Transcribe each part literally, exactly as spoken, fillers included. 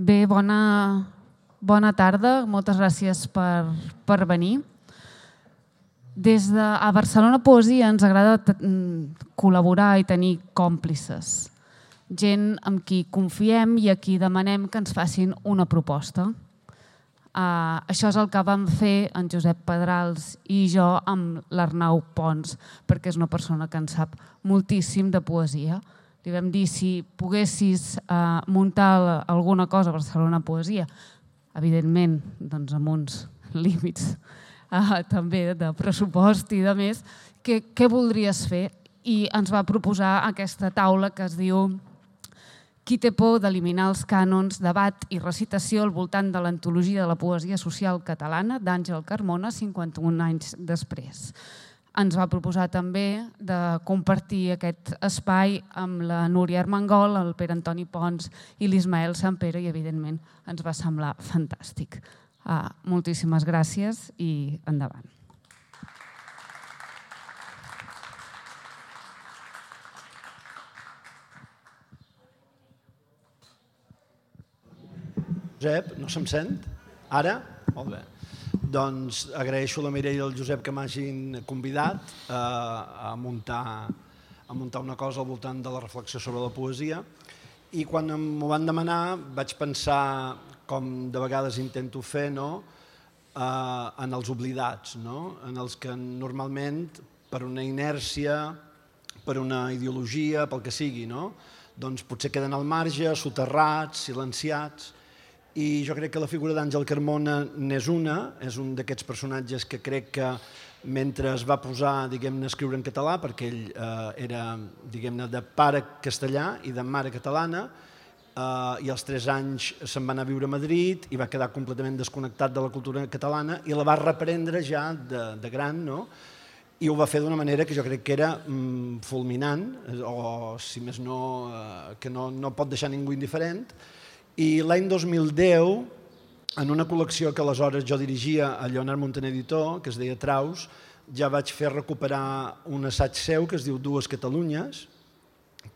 Bé, bona, bona tarda. Moltes gràcies per, per venir. Des de a Barcelona Poesia ens agrada col·laborar i tenir còmplices. Gent amb qui confiem i a qui demanem que ens facin una proposta. Uh, això és el que vam fer en Josep Pedrals i jo amb l'Arnau Pons, perquè és una persona que en sap moltíssim de poesia. Li vam dir si poguessis uh, muntar alguna cosa a Barcelona Poesia, evidentment doncs amb uns límits uh, també de pressupost i de més, què, què voldries fer? I ens va proposar aquesta taula que es diu Qui té por d'eliminar els cànons, debat i recitació al voltant de l'antologia de la poesia social catalana d'Àngel Carmona, cinquanta-un anys després. Ens va proposar també de compartir aquest espai amb la Núria Armengol, el Pere Antoni Pons i l'Ismael Sampere i, evidentment, ens va semblar fantàstic. Uh, moltíssimes gràcies i endavant. Josep, no se'm sent? Ara? Molt bé. Doncs agraeixo a la Mireia i al Josep que m'hagin convidat a muntar, a muntar una cosa al voltant de la reflexió sobre la poesia i quan m'ho van demanar vaig pensar, com de vegades intento fer, no? En els oblidats, no? En els que normalment per una inèrcia, per una ideologia, pel que sigui, no? Doncs potser queden al marge, soterrats, silenciats. I jo crec que la figura d'Àngel Carmona n'és una, és un d'aquests personatges que crec que mentre es va posar, diguem-ne, a escriure en català, perquè ell era, diguem-ne, de pare castellà i de mare catalana, i als tres anys se'n va anar a viure a Madrid i va quedar completament desconnectat de la cultura catalana i la va reprendre ja de gran, no? I ho va fer d'una manera que jo crec que era fulminant, o si més no, que no pot deixar ningú indiferent. I l'any dos mil deu, en una col·lecció que aleshores jo dirigia a Lleonard Montaner Editor, que es deia Traus, ja vaig fer recuperar un assaig seu que es diu Dues Catalunyes,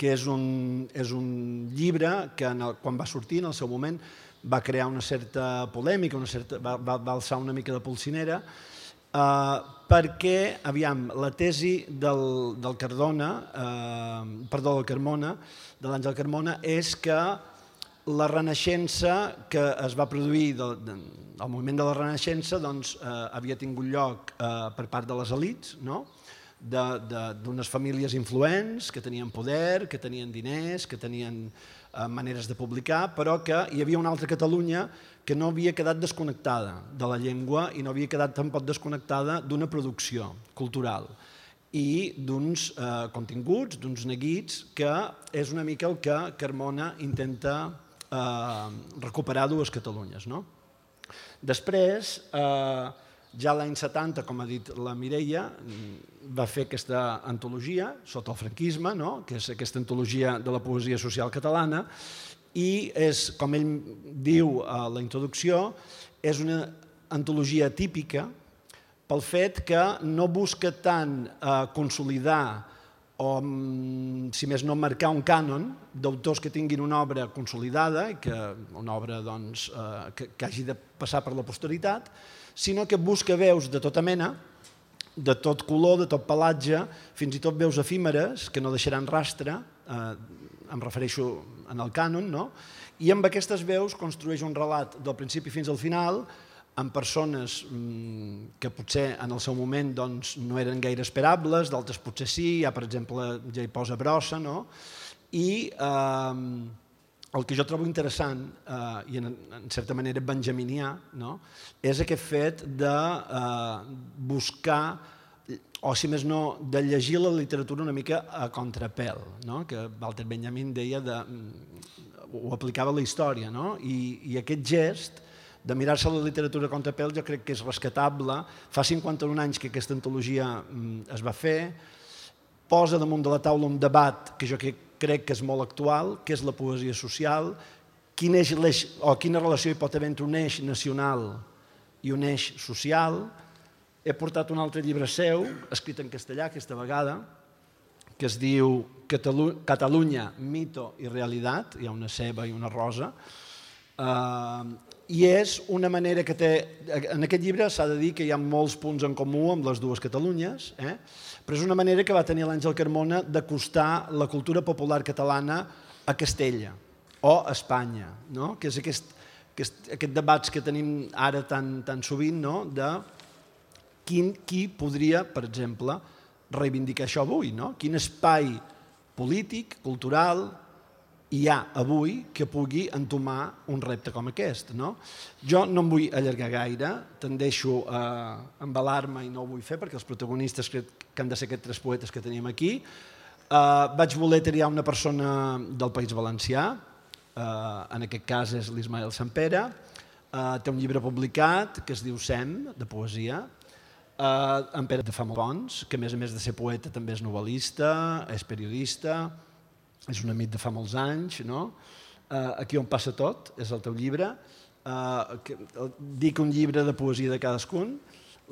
que és un, és un llibre que en el, quan va sortir en el seu moment va crear una certa polèmica, una certa, va, va, va alçar una mica de polsinera, eh, perquè, aviam, la tesi del, del Cardona, eh, perdó, del Carmona, de l'Àngel Carmona, és que la Renaixença que es va produir, el moviment de la Renaixença, doncs havia tingut lloc per part de les elits, d'unes famílies influents que tenien poder, que tenien diners, que tenien maneres de publicar, però que hi havia una altra Catalunya que no havia quedat desconnectada de la llengua i no havia quedat tampoc desconnectada d'una producció cultural i d'uns continguts, d'uns neguits, que és una mica el que Carmona intenta recuperar Dues Catalunyes. Després, ja l'any setanta, com ha dit la Mireia, va fer aquesta antologia sota el franquisme, que és aquesta antologia de la poesia social catalana, i és, com ell diu a la introducció, és una antologia típica pel fet que no busca tant consolidar o, si més no, marcar un cànon d'autors que tinguin una obra consolidada, una obra que hagi de passar per la posteritat, sinó que busca veus de tota mena, de tot color, de tot pelatge, fins i tot veus efímeres que no deixaran rastre, em refereixo en el cànon, i amb aquestes veus construeix un relat del principi fins al final, amb persones que potser en el seu moment no eren gaire esperables, d'altres potser sí, hi ha per exemple ja hi posa Brossa, i el que jo trobo interessant i en certa manera benjaminià és aquest fet de buscar, o si més no, de llegir la literatura una mica a contrapèl, que Walter Benjamin deia, ho aplicava a la història, i aquest gest de mirar-se la literatura a contrapèl jo crec que és rescatable. Fa cinquanta-un anys que aquesta antologia es va fer, posa damunt de la taula un debat que jo crec que és molt actual, que és la poesia social, quina relació hi pot haver entre un eix nacional i un eix social. He portat un altre llibre seu, escrit en castellà aquesta vegada, que es diu Catalunya, mito i realitat, hi ha una ceba i una rosa, I és una manera que té... En aquest llibre s'ha de dir que hi ha molts punts en comú amb les dues Catalunyes, però és una manera que va tenir l'Àngel Carmona d'acostar la cultura popular catalana a Castella o a Espanya, que és aquest debats que tenim ara tan sovint de qui podria, per exemple, reivindicar això avui, quin espai polític, cultural, hi ha avui que pugui entomar un repte com aquest. Jo no em vull allargar gaire, tendeixo a embalar-me i no ho vull fer perquè els protagonistes crec que han de ser aquests tres poetes que tenim aquí. Vaig voler triar una persona del País Valencià, en aquest cas és l'Ismael Sampere, té un llibre publicat que es diu Sem, de poesia, en Pere de Famolpons, que a més a més de ser poeta també és novel·lista, és periodista, és un amic de fa molts anys, Aquí on passa tot, és el teu llibre, dic un llibre de poesia de cadascun,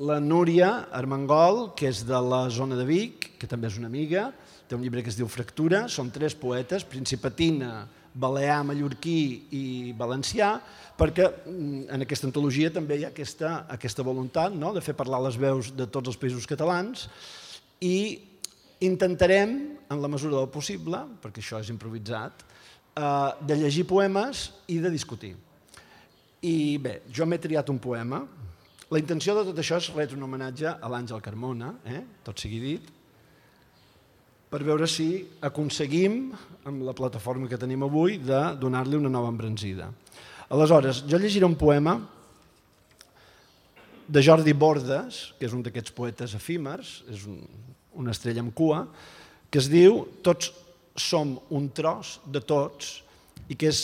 la Núria Armengol, que és de la zona de Vic, que també és una amiga, té un llibre que es diu Fractura, són tres poetes, principatina, balear, mallorquí i valencià, perquè en aquesta antologia també hi ha aquesta voluntat de fer parlar les veus de tots els països catalans i intentarem, en la mesura del possible, perquè això és improvisat, de llegir poemes i de discutir. I bé, jo m'he triat un poema. La intenció de tot això és retre un homenatge a l'Àngel Carmona, tot sigui dit, per veure si aconseguim, amb la plataforma que tenim avui, de donar-li una nova embranzida. Aleshores, jo llegiré un poema de Jordi Bordes, que és un d'aquests poetes efímers, és una estrella amb cua, que es diu Tots som un tros de tots, i que és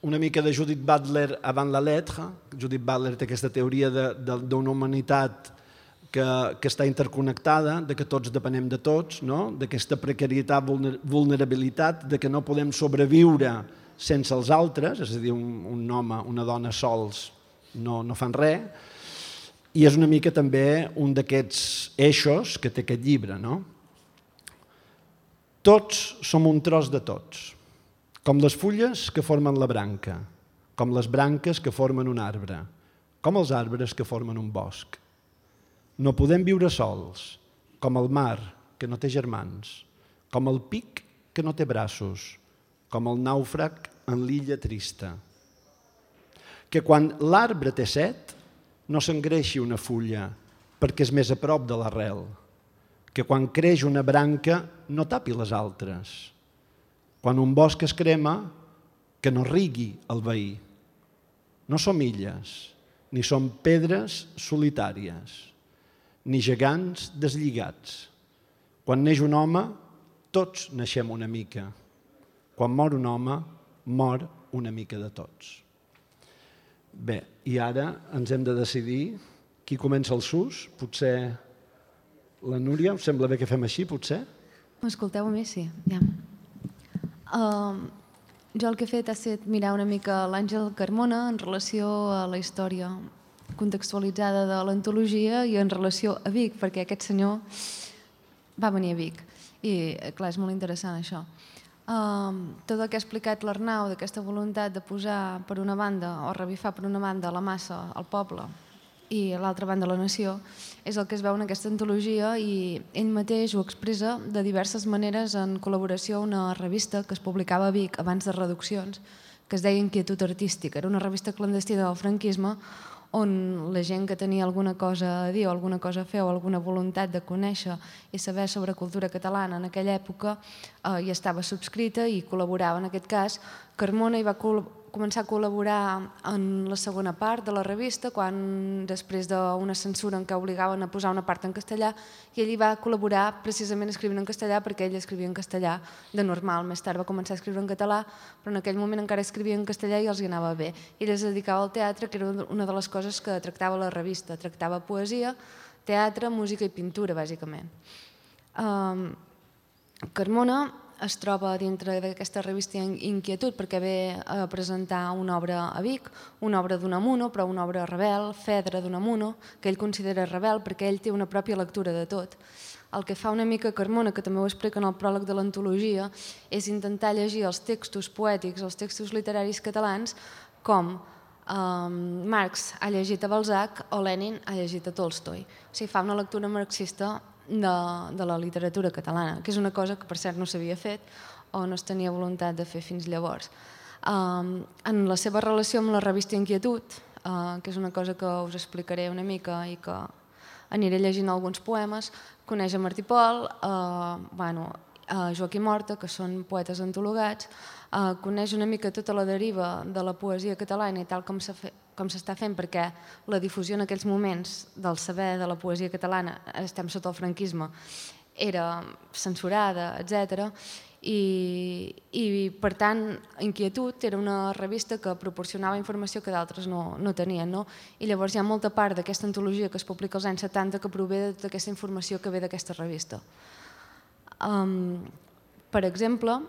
una mica de Judith Butler avant la lettre. Judith Butler té aquesta teoria d'una humanitat que està interconnectada, que tots depenem de tots, d'aquesta precarietat, vulnerabilitat, que no podem sobreviure sense els altres, és a dir, un home, una dona sols no fan res, i és una mica també un d'aquests eixos que té aquest llibre. Tots som un tros de tots, com les fulles que formen la branca, com les branques que formen un arbre, com els arbres que formen un bosc. No podem viure sols, com el mar, que no té germans, com el pic, que no té braços, com el nàufrag en l'illa trista. Que quan l'arbre té set, no s'engreixi una fulla, perquè és més a prop de l'arrel. Que quan creix una branca, no tapi les altres. Quan un bosc es crema, que no rigui el veí. No som illes, ni som pedres solitàries, ni gegants deslligats. Quan neix un home, tots naixem una mica. Quan mor un home, mor una mica de tots. Bé, i ara ens hem de decidir qui comença el sus. Potser la Núria, us sembla bé que fem així, potser? M'escolteu a mi? Sí. Jo el que he fet ha estat mirar una mica l'Àngel Carmona en relació a la història contextualitzada de l'antologia i en relació a Vic, perquè aquest senyor va venir a Vic. I, clar, és molt interessant això. Tot el que ha explicat l'Arnau d'aquesta voluntat de posar per una banda o revifar per una banda la massa, el poble, i a l'altra banda la nació, és el que es veu en aquesta antologia i ell mateix ho expressa de diverses maneres en col·laboració a una revista que es publicava a Vic abans de reduccions, que es deia Inquietud Artística. Era una revista clandestina del franquisme on la gent que tenia alguna cosa a dir o alguna cosa a fer o alguna voluntat de conèixer i saber sobre cultura catalana en aquella època hi estava subscrita i col·laborava. En aquest cas, Carmona hi va començar a col·laborar en la segona part de la revista, quan després d'una censura en què obligaven a posar una part en castellà, i ell hi va col·laborar precisament escrivint en castellà perquè ell escrivia en castellà de normal. Més tard va començar a escriure en català, però en aquell moment encara escrivia en castellà i els hi anava bé. Ell es dedicava al teatre, que era una de les coses que tractava la revista. Tractava poesia, teatre, música i pintura, bàsicament. Carmona es troba dintre d'aquesta revista Inquietud perquè ve a presentar una obra a Vic, una obra d'Unamuno, però una obra rebel, Fedra d'Unamuno, que ell considera rebel perquè ell té una pròpia lectura de tot. El que fa una mica Carmona, que també ho explica en el pròleg de l'antologia, és intentar llegir els textos poètics, els textos literaris catalans, com um, Marx ha llegit a Balzac o Lenin ha llegit a Tolstoi. O sigui, fa una lectura marxista de, de la literatura catalana, que és una cosa que per cert no s'havia fet o no es tenia voluntat de fer fins llavors. Um, en la seva relació amb la revista Inquietud, uh, que és una cosa que us explicaré una mica i que aniré llegint alguns poemes, coneix a Martí Pol, uh, bueno, a Joaquim Horta, que són poetes antologats, uh, coneix una mica tota la deriva de la poesia catalana i tal com s'està fent, perquè la difusió en aquells moments del saber de la poesia catalana, estem sota el franquisme, era censurada, etcètera. I, i per tant, Inquietud era una revista que proporcionava informació que d'altres no, no tenien, no? I llavors hi ha molta part d'aquesta antologia que es publica als anys setanta que prové de tota aquesta informació que ve d'aquesta revista. Um, per exemple,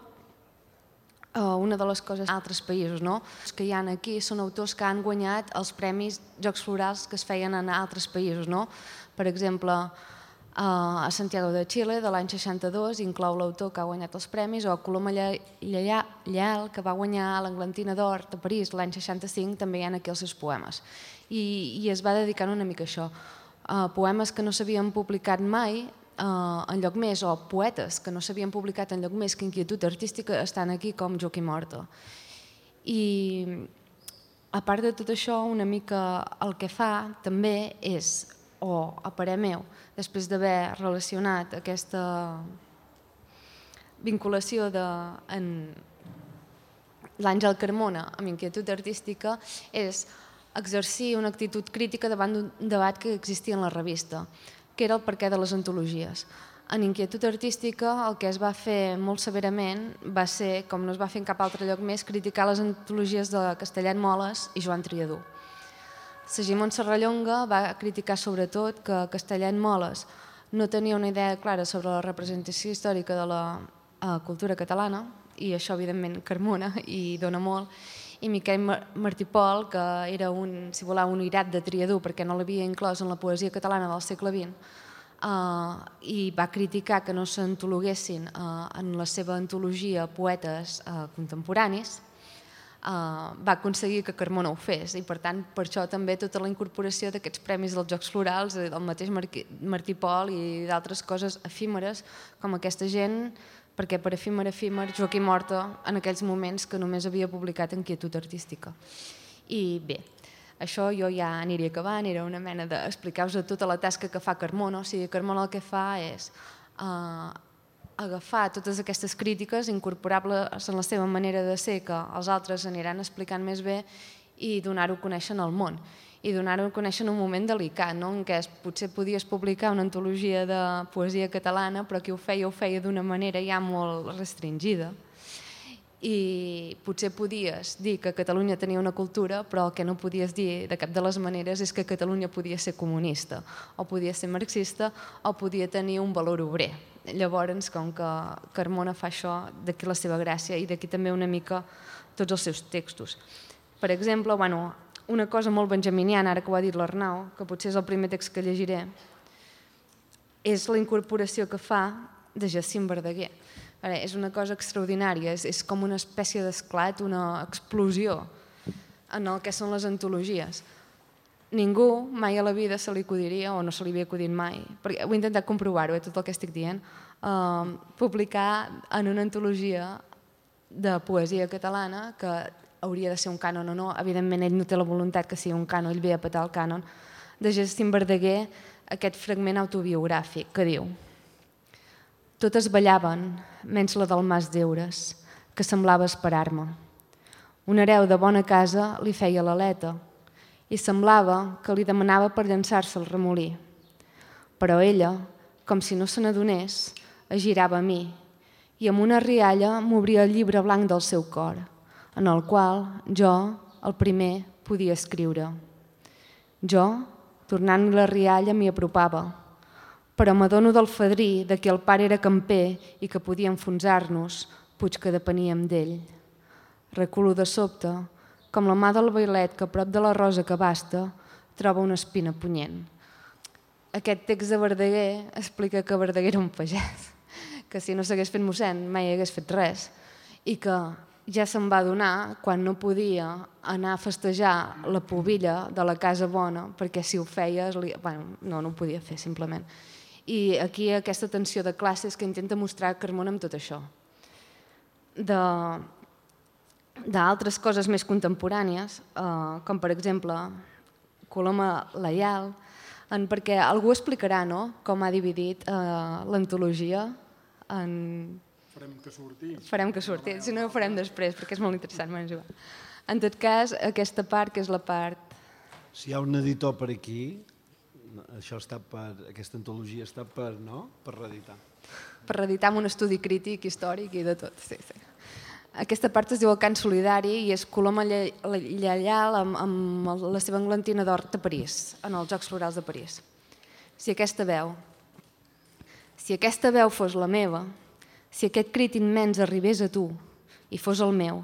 uh, una de les coses a altres països, no? Que hi ha aquí són autors que han guanyat els premis Jocs Florals que es feien en altres països, no? Per exemple, Uh, a Santiago de Xile, de l'any seixanta-dos, inclou l'autor que ha guanyat els premis, o Coloma Lleal, que va guanyar l'Englantina d'Or de París l'any seixanta-cinc, també hi ha aquí els seus poemes. I, i es va dedicar una mica a això. Uh, poemes que no s'havien publicat mai uh, enlloc més, o poetes que no s'havien publicat enlloc més que Inquietud Artística, estan aquí com Joaquim Horta. I a part de tot això, una mica el que fa també és, o a parer meu, després d'haver relacionat aquesta vinculació de l'Àngel Carmona amb Inquietud Artística, és exercir una actitud crítica davant d'un debat que existia en la revista, que era el perquè de les antologies. En Inquietud Artística el que es va fer molt severament va ser, com no es va fer en cap altre lloc més, criticar les antologies de Castellet Moles i Joan Triadú. Segimon Serrallonga va criticar sobretot que Castellet Moles no tenia una idea clara sobre la representació històrica de la uh, cultura catalana, i això evidentment Carmona i dona molt, i Miquel Martí Pol, que era un, si voleu, un irat de Triadú perquè no l'havia inclòs en la poesia catalana del segle vint, uh, i va criticar que no s'antologuessin uh, en la seva antologia poetes uh, contemporanis. Uh, va aconseguir que Carmona ho fes, i per tant per això també tota la incorporació d'aquests premis dels Jocs Florals, del mateix Martí Pol i d'altres coses efímeres com aquesta gent, perquè per efímer efímer Joaquim Horta en aquells moments que només havia publicat Inquietud Artística. I bé, això jo ja aniria acabant, era una mena d'explicar-vos tota la tasca que fa Carmona. O sigui, Carmona el que fa és uh, agafar totes aquestes crítiques, incorporar-les en la seva manera de ser, que els altres aniran explicant més bé, i donar-ho a conèixer en el món. I donar-ho a conèixer en un moment delicat, no? En què potser podies publicar una antologia de poesia catalana, però qui ho feia ho feia d'una manera ja molt restringida. I potser podies dir que Catalunya tenia una cultura, però el que no podies dir de cap de les maneres és que Catalunya podia ser comunista, o podia ser marxista, o podia tenir un valor obrer. Llavors, com que Carmona fa això, d'aquí la seva gràcia, i d'aquí també una mica tots els seus textos. Per exemple, bueno, una cosa molt benjaminiana, ara que ho ha dit l'Arnau, que potser és el primer text que llegiré, és la incorporació que fa de Jacint Verdaguer. És una cosa extraordinària, és, és com una espècie d'esclat, una explosió en el que són les antologies. Ningú mai a la vida se li acudiria, o no se li havia acudit mai, perquè ho he intentat comprovar-ho, eh, tot el que estic dient, eh, publicar en una antologia de poesia catalana, que hauria de ser un cànon o no, evidentment ell no té la voluntat que sigui un cànon, ell ve a petar el cànon, de Jacint Verdaguer, aquest fragment autobiogràfic que diu: totes ballaven, menys la del Mas d'Eures, que semblava esperar-me. Un hereu de bona casa li feia l'aleta, i semblava que li demanava per llançar-se al remolí. Però ella, com si no se n'adonés, es girava a mi, i amb una rialla m'obria el llibre blanc del seu cor, en el qual jo, el primer, podia escriure. Jo, tornant la rialla, m'hi apropava, però m'adono del fadrí de que el pare era camper i que podia enfonsar-nos, puig que depeníem d'ell. Reculo de sobte, com la mà del bailet que a prop de la rosa que basta troba una espina punyent. Aquest text de Verdaguer explica que Verdaguer era un pagès, que si no s'hagués fet mossèn mai hagués fet res, i que ja se'n va adonar quan no podia anar a festejar la pubilla de la Casa Bona, perquè si ho feies, li... bueno, no, no ho podia fer simplement. I aquí aquesta tensió de classes que intenta mostrar Carmona amb tot això. D'altres coses més contemporànies, eh, com per exemple Coloma Laial, en, perquè algú explicarà, no?, com ha dividit eh, l'antologia en... Farem que surti. Farem que surti, si no ho farem després, perquè és molt interessant. En tot cas, aquesta part, que és la part... Si hi ha un editor per aquí, això està per, aquesta antologia està per, no?, per reeditar. Per reeditar amb un estudi crític, històric i de tot, sí, sí. Aquesta part es diu el cant solidari i és Coloma Laial amb, amb la seva englantina d'or de París, en els Jocs Florals de París. Si aquesta veu, si aquesta veu fos la meva, si aquest crit immens arribés a tu i fos el meu,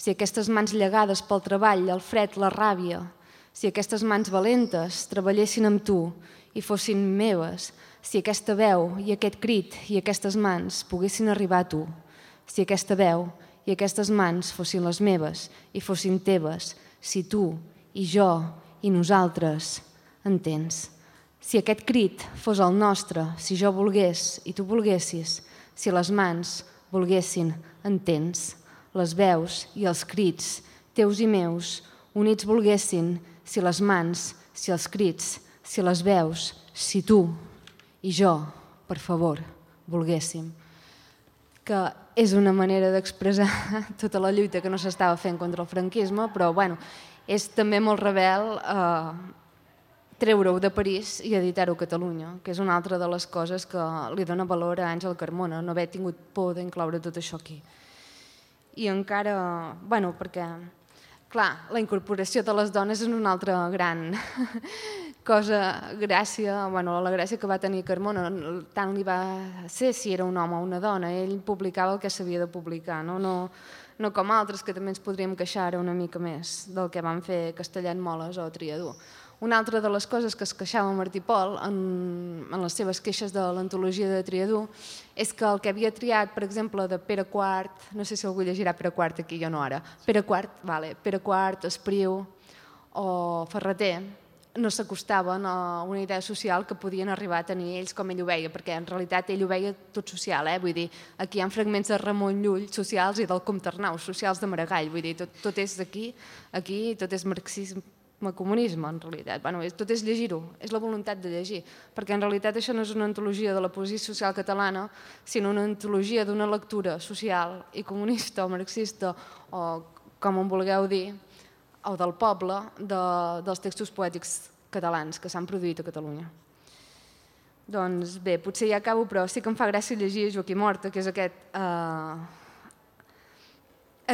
si aquestes mans llegades pel treball, el fred, la ràbia, si aquestes mans valentes treballessin amb tu i fossin meves, si aquesta veu i aquest crit i aquestes mans poguessin arribar a tu, si aquesta veu i aquestes mans fossin les meves i fossin teves, si tu i jo i nosaltres, entens? Si aquest crit fos el nostre, si jo volgués i tu volguessis, si les mans volguessin, entens? Les veus i els crits, teus i meus, units volguessin, si les mans, si els crits, si les veus, si tu i jo, per favor, volguéssim. Que és una manera d'expressar tota la lluita que no s'estava fent contra el franquisme, però bueno, és també molt rebel eh, treure-ho de París i editar-ho a Catalunya, que és una altra de les coses que li dona valor a Àngel Carmona, no haver tingut por d'incloure tot això aquí. I encara, bueno, perquè, clar, la incorporació de les dones és una altra gran cosa, gràcia, bueno, la gràcia que va tenir Carmona, tant li va ser si era un home o una dona, ell publicava el que s'havia de publicar, no, no, no com altres que també ens podríem queixar una mica més del que van fer Castellet Moles o Triadú. Una altra de les coses que es queixava Martí Pol en, en les seves queixes de l'antologia de Triadú és que el que havia triat, per exemple, de Pere quart, no sé si algú llegirà Pere quart aquí, jo no ara, Pere quart, vale, Pere quart, Espriu o Ferreter, no s'acostaven a una idea social que podien arribar a tenir ells com ell ho veia, perquè en realitat ell ho veia tot social, eh? Vull dir, aquí hi ha fragments de Ramon Llull socials i del Comte Arnau, socials de Maragall, vull dir, tot, tot és aquí, aquí tot és marxisme, comunisme, en realitat. Bueno, tot és llegir-ho, és la voluntat de llegir, perquè en realitat això no és una antologia de la poesia social catalana, sinó una antologia d'una lectura social i comunista o marxista, o com en vulgueu dir, o del poble, de, dels textos poètics catalans que s'han produït a Catalunya. Doncs bé, potser ja acabo, però sí que em fa gràcia llegir Joaquim Horta, que és aquest, eh,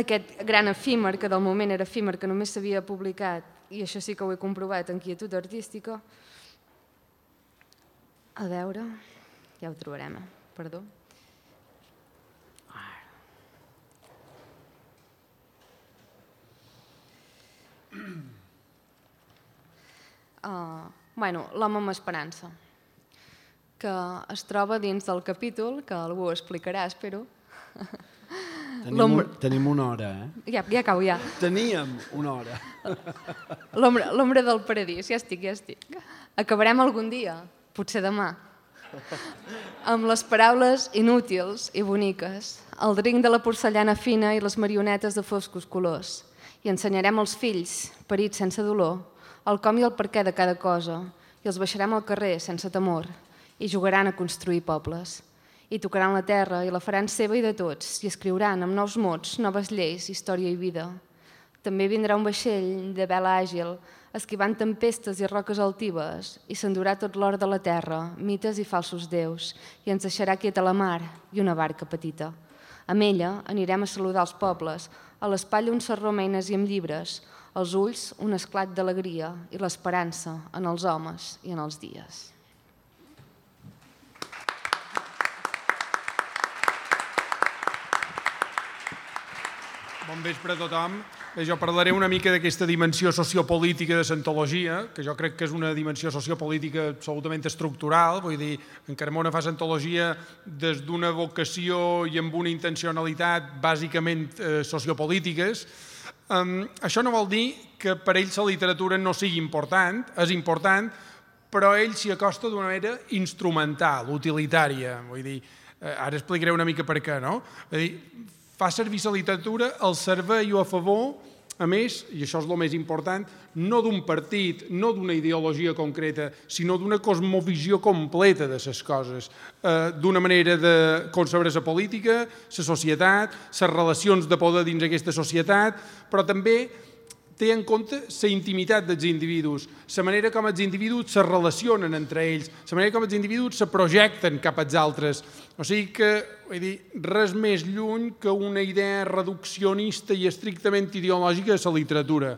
aquest gran efímer, que del moment era efímer, que només s'havia publicat, i això sí que ho he comprovat en Quietud Artística. A veure, ja ho trobarem, eh? Perdó. Uh, bueno, l'home amb esperança, que es troba dins del capítol, que algú explicarà, espero. Tenim, un, tenim una hora, eh? Ja, ja acabo, ja. Teníem una hora. L'ombra del paradís, ja estic, ja estic. Acabarem algun dia, potser demà, amb les paraules inútils i boniques, el drinc de la porcellana fina i les marionetes de foscos colors. I ensenyarem als fills, parits sense dolor, el com i el per què de cada cosa, i els baixarem al carrer sense temor, i jugaran a construir pobles. I tocaran la terra i la faran seva i de tots, i escriuran amb nous mots, noves lleis, història i vida. També vindrà un vaixell de vela àgil, esquivant tempestes i roques altives, i s'endurà tot l'or de la terra, mites i falsos déus, i ens deixarà quieta la mar i una barca petita. Amb ella anirem a saludar els pobles, a l'espatlla un sarró amb eines i amb llibres, als ulls un esclat d'alegria i l'esperança en els homes i en els dies. Bon vespre a tothom. Jo parlaré una mica d'aquesta dimensió sociopolítica de l'antologia, que jo crec que és una dimensió sociopolítica absolutament estructural, vull dir, en Carmona fa l'antologia des d'una vocació i amb una intencionalitat bàsicament eh, sociopolítiques. Um, això no vol dir que per ell la literatura no sigui important, és important, però ell s'hi acosta d'una manera instrumental, utilitària. Vull dir, eh, ara explicaré una mica per què, no? Vull dir, fa servir la literatura al servei o a favor, a més, i això és el més important, no d'un partit, no d'una ideologia concreta, sinó d'una cosmovisió completa de les coses, eh, d'una manera de concebre la política, la societat, les relacions de poder dins aquesta societat, però també té en compte la intimitat dels individus, la manera com els individus se relacionen entre ells, la manera com els individus se projecten cap als altres. O sigui que, vull dir, res més lluny que una idea reduccionista i estrictament ideològica de la literatura.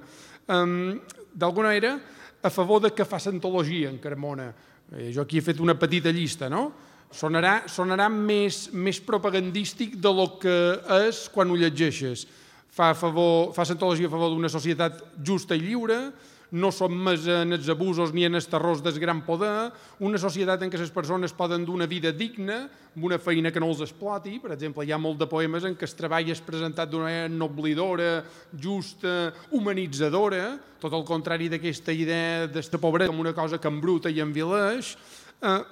Um, D'alguna manera, a favor de que fa antologia en Carmona. Eh, jo aquí he fet una petita llista, no? Sonarà, sonarà més, més propagandístic de lo que és quan ho llegeixes. Fa, favor, fa antologia a favor d'una societat justa i lliure, no som més en els abusos ni en els terrors del gran poder, una societat en què les persones poden dur una vida digna, amb una feina que no els exploti. Per exemple, hi ha molt de poemes en què el treball és presentat d'una manera noblidora, justa, humanitzadora, tot el contrari d'aquesta idea d'esta pobresa com una cosa que embruta i envileix,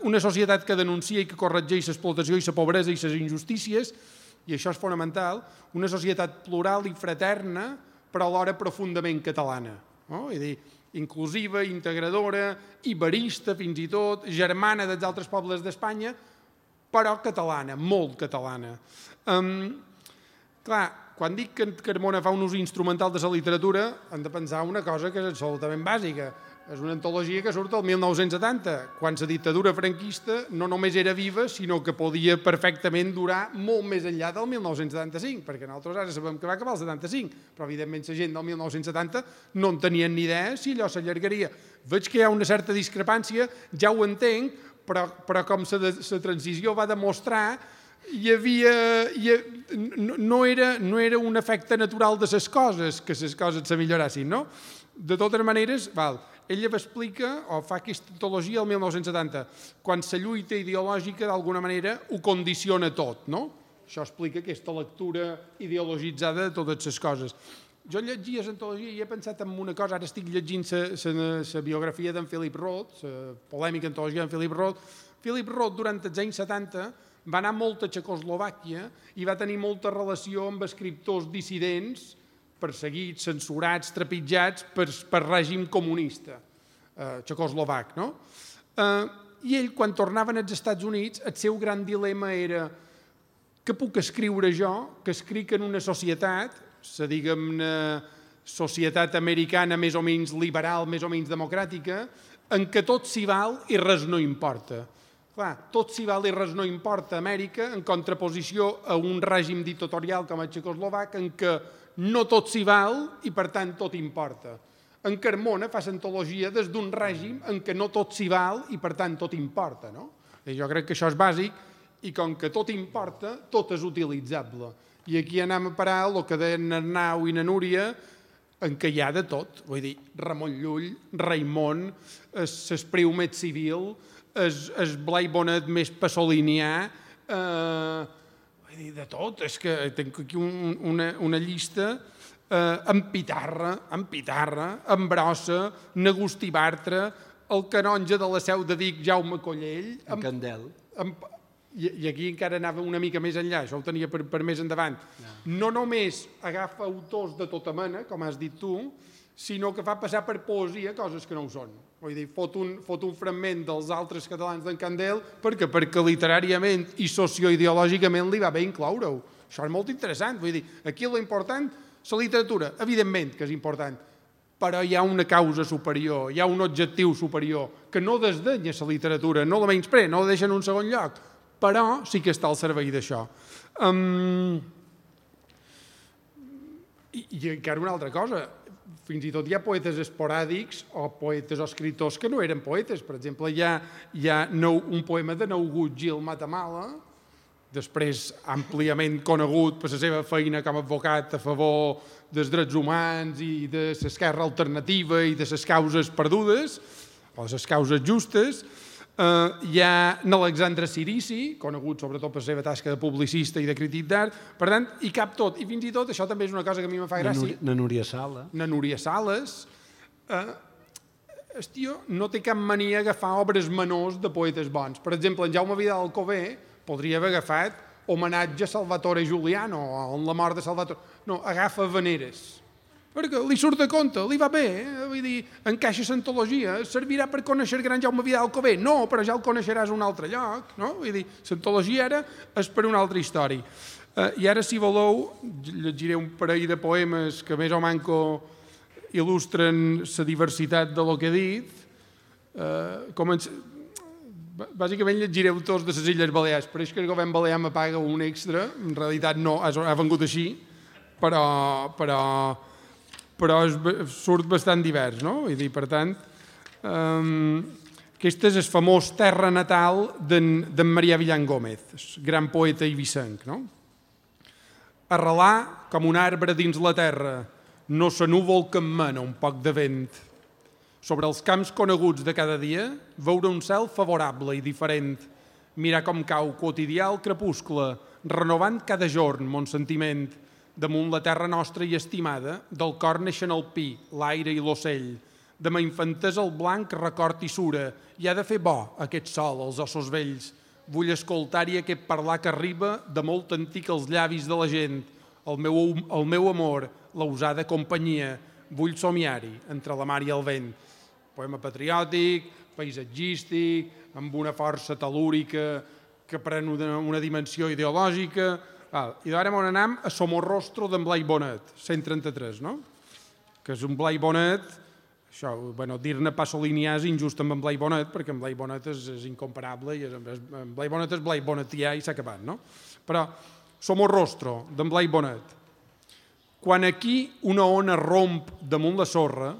una societat que denuncia i que corregeix l'explotació i la pobresa i les injustícies, i això és fonamental, una societat plural i fraterna, però alhora profundament catalana. No? És a dir, inclusiva, integradora, iberista fins i tot, germana dels altres pobles d'Espanya, però catalana, molt catalana. Um, clar, quan dic que Carmona fa un ús instrumental de la literatura, hem de pensar una cosa que és absolutament bàsica. És una antologia que surt el mil nou-cents setanta, quan la dictadura franquista no només era viva, sinó que podia perfectament durar molt més enllà del mil nou-cents setanta-cinc, perquè nosaltres ara sabem que va acabar el setanta-cinc, però evidentment la gent del mil nou-cents setanta no en tenien ni idea si allò s'allargaria. Veig que hi ha una certa discrepància, ja ho entenc, però, però com la transició va demostrar, hi havia, hi, no, no, era, no era un efecte natural de les coses, que les coses se millorassin, no? De totes maneres, val, ella explica o fa aquesta antologia el mil nou-cents setanta, quan la lluita ideològica d'alguna manera ho condiciona tot, no? Això explica aquesta lectura ideologitzada de totes les coses. Jo llegia l'antologia i he pensat en una cosa, ara estic llegint la biografia d'en Philip Roth, la polèmica antologia d'en Philip Roth. Philip Roth, durant els anys setanta, va anar molt a Txecoslovàquia i va tenir molta relació amb escriptors dissidents, perseguits, censurats, trepitjats per, per règim comunista eh, txecoslovac. No? Eh, I ell, quan tornaven als Estats Units, el seu gran dilema era què puc escriure jo, que escric en una societat, la diguem-ne societat americana més o menys liberal, més o menys democràtica, en què tot s'hi val i res no importa. Clar, tot s'hi val i res no importa a Amèrica, en contraposició a un règim dictatorial com el txecoslovac, en què no tot s'hi val i, per tant, tot importa. En Carmona fa l'antologia des d'un règim en què no tot s'hi val i, per tant, tot importa. No? I jo crec que això és bàsic i, com que tot importa, tot és utilitzable. I aquí anem a parar el que deien Arnau i na Núria, en què hi ha de tot. Vull dir, Ramon Llull, Raimon, l'Espriu més civil, el Blai Bonet més pasolinià, eh, de tot, és que tinc aquí un, una, una llista eh, amb Pitarra, amb Pitarra, amb Brossa, n'Agustí Bartra, el canonge de la Seu de Vic, Jaume Collell... En amb, Candel. Amb, i, I aquí encara anava una mica més enllà, això ho tenia per, per més endavant. No. no només agafa autors de tota mena, com has dit tu, sinó que fa passar per poesia coses que no ho són. Vull dir, fot un, fot un fragment dels altres catalans d'en Candel perquè, perquè literàriament i socioideològicament li va bé incloure-ho. Això és molt interessant. Vull dir, aquí l'important, la literatura, evidentment que és important, però hi ha una causa superior, hi ha un objectiu superior, que no desdenya la literatura, no la menysprea, no la deixa en un segon lloc, però sí que està al servei d'això. Um, i, I encara una altra cosa, fins i tot hi ha poetes esporàdics o poetes o escriptors que no eren poetes. Per exemple, hi ha, hi ha nou, un poema de Naugut Gil Matamala, després àmpliament conegut per la seva feina com a advocat a favor dels drets humans i de l'esquerra alternativa i de les causes perdudes, o les causes justes. Hi ha l'Alexandre Cirici, conegut sobretot per la seva tasca de publicista i de crític d'art, per tant, hi cap tot. I fins i tot, això també és una cosa que a mi em fa gràcia. Na Núria Sala. Na Núria Sales. El tio no té cap mania agafar obres menors de poetes bons. Per exemple, en Jaume Vidal Alcover podria haver agafat homenatge a Salvatore Giuliano o en la mort de Salvatore. No, agafa veneres. Perquè li surt de compte, li va bé, eh? Vull dir, encaixa l'antologia, servirà per conèixer el gran Jaume Vidal Alcover? No, però ja el coneixeràs a un altre lloc, no? Vull dir, l'antologia ara és per una altra història. Eh, I ara, si voleu, llegiré un parell de poemes que més o manco il·lustren la diversitat de lo que he dit. Eh, començ... Bàsicament llegireu tots de les Illes Balears, però és que el govern balear me paga un extra, en realitat no, ha vengut així, però... però però surt bastant divers, no? Vull dir, per tant, aquest és el famós terra natal d'en Marià Villan Gómez, gran poeta eivissenc, no? Arrelar com un arbre dins la terra, no se núvol que em mena un poc de vent. Sobre els camps coneguts de cada dia, veure un cel favorable i diferent, mirar com cau quotidià el crepuscle, renovant cada jorn mon sentiment. Damunt la terra nostra i estimada, del cor neixen el pi, l'aire i l'ocell. De ma infantesa el blanc record i sura, i ha de fer bo aquest sol als ossos vells. Vull escoltar-hi aquest parlar que arriba de molt antic als llavis de la gent. El meu, el meu amor, la usada companyia, vull somiar-hi entre la mar i el vent. Poema patriòtic, paisatgístic, amb una força telúrica que pren una, una dimensió ideològica. I d'ara on anem a Somorrostro d'en Blai Bonet, cent trenta-tres, no? Que és un Blai Bonet, això, bueno, dir-ne Pasolini és injust amb en Blai Bonet, perquè en Blai Bonet és, és incomparable, i és, en Blai Bonet és Blai Bonetià i s'ha acabat, no? Però Somorrostro d'en Blai Bonet. Quan aquí una ona romp damunt la sorra,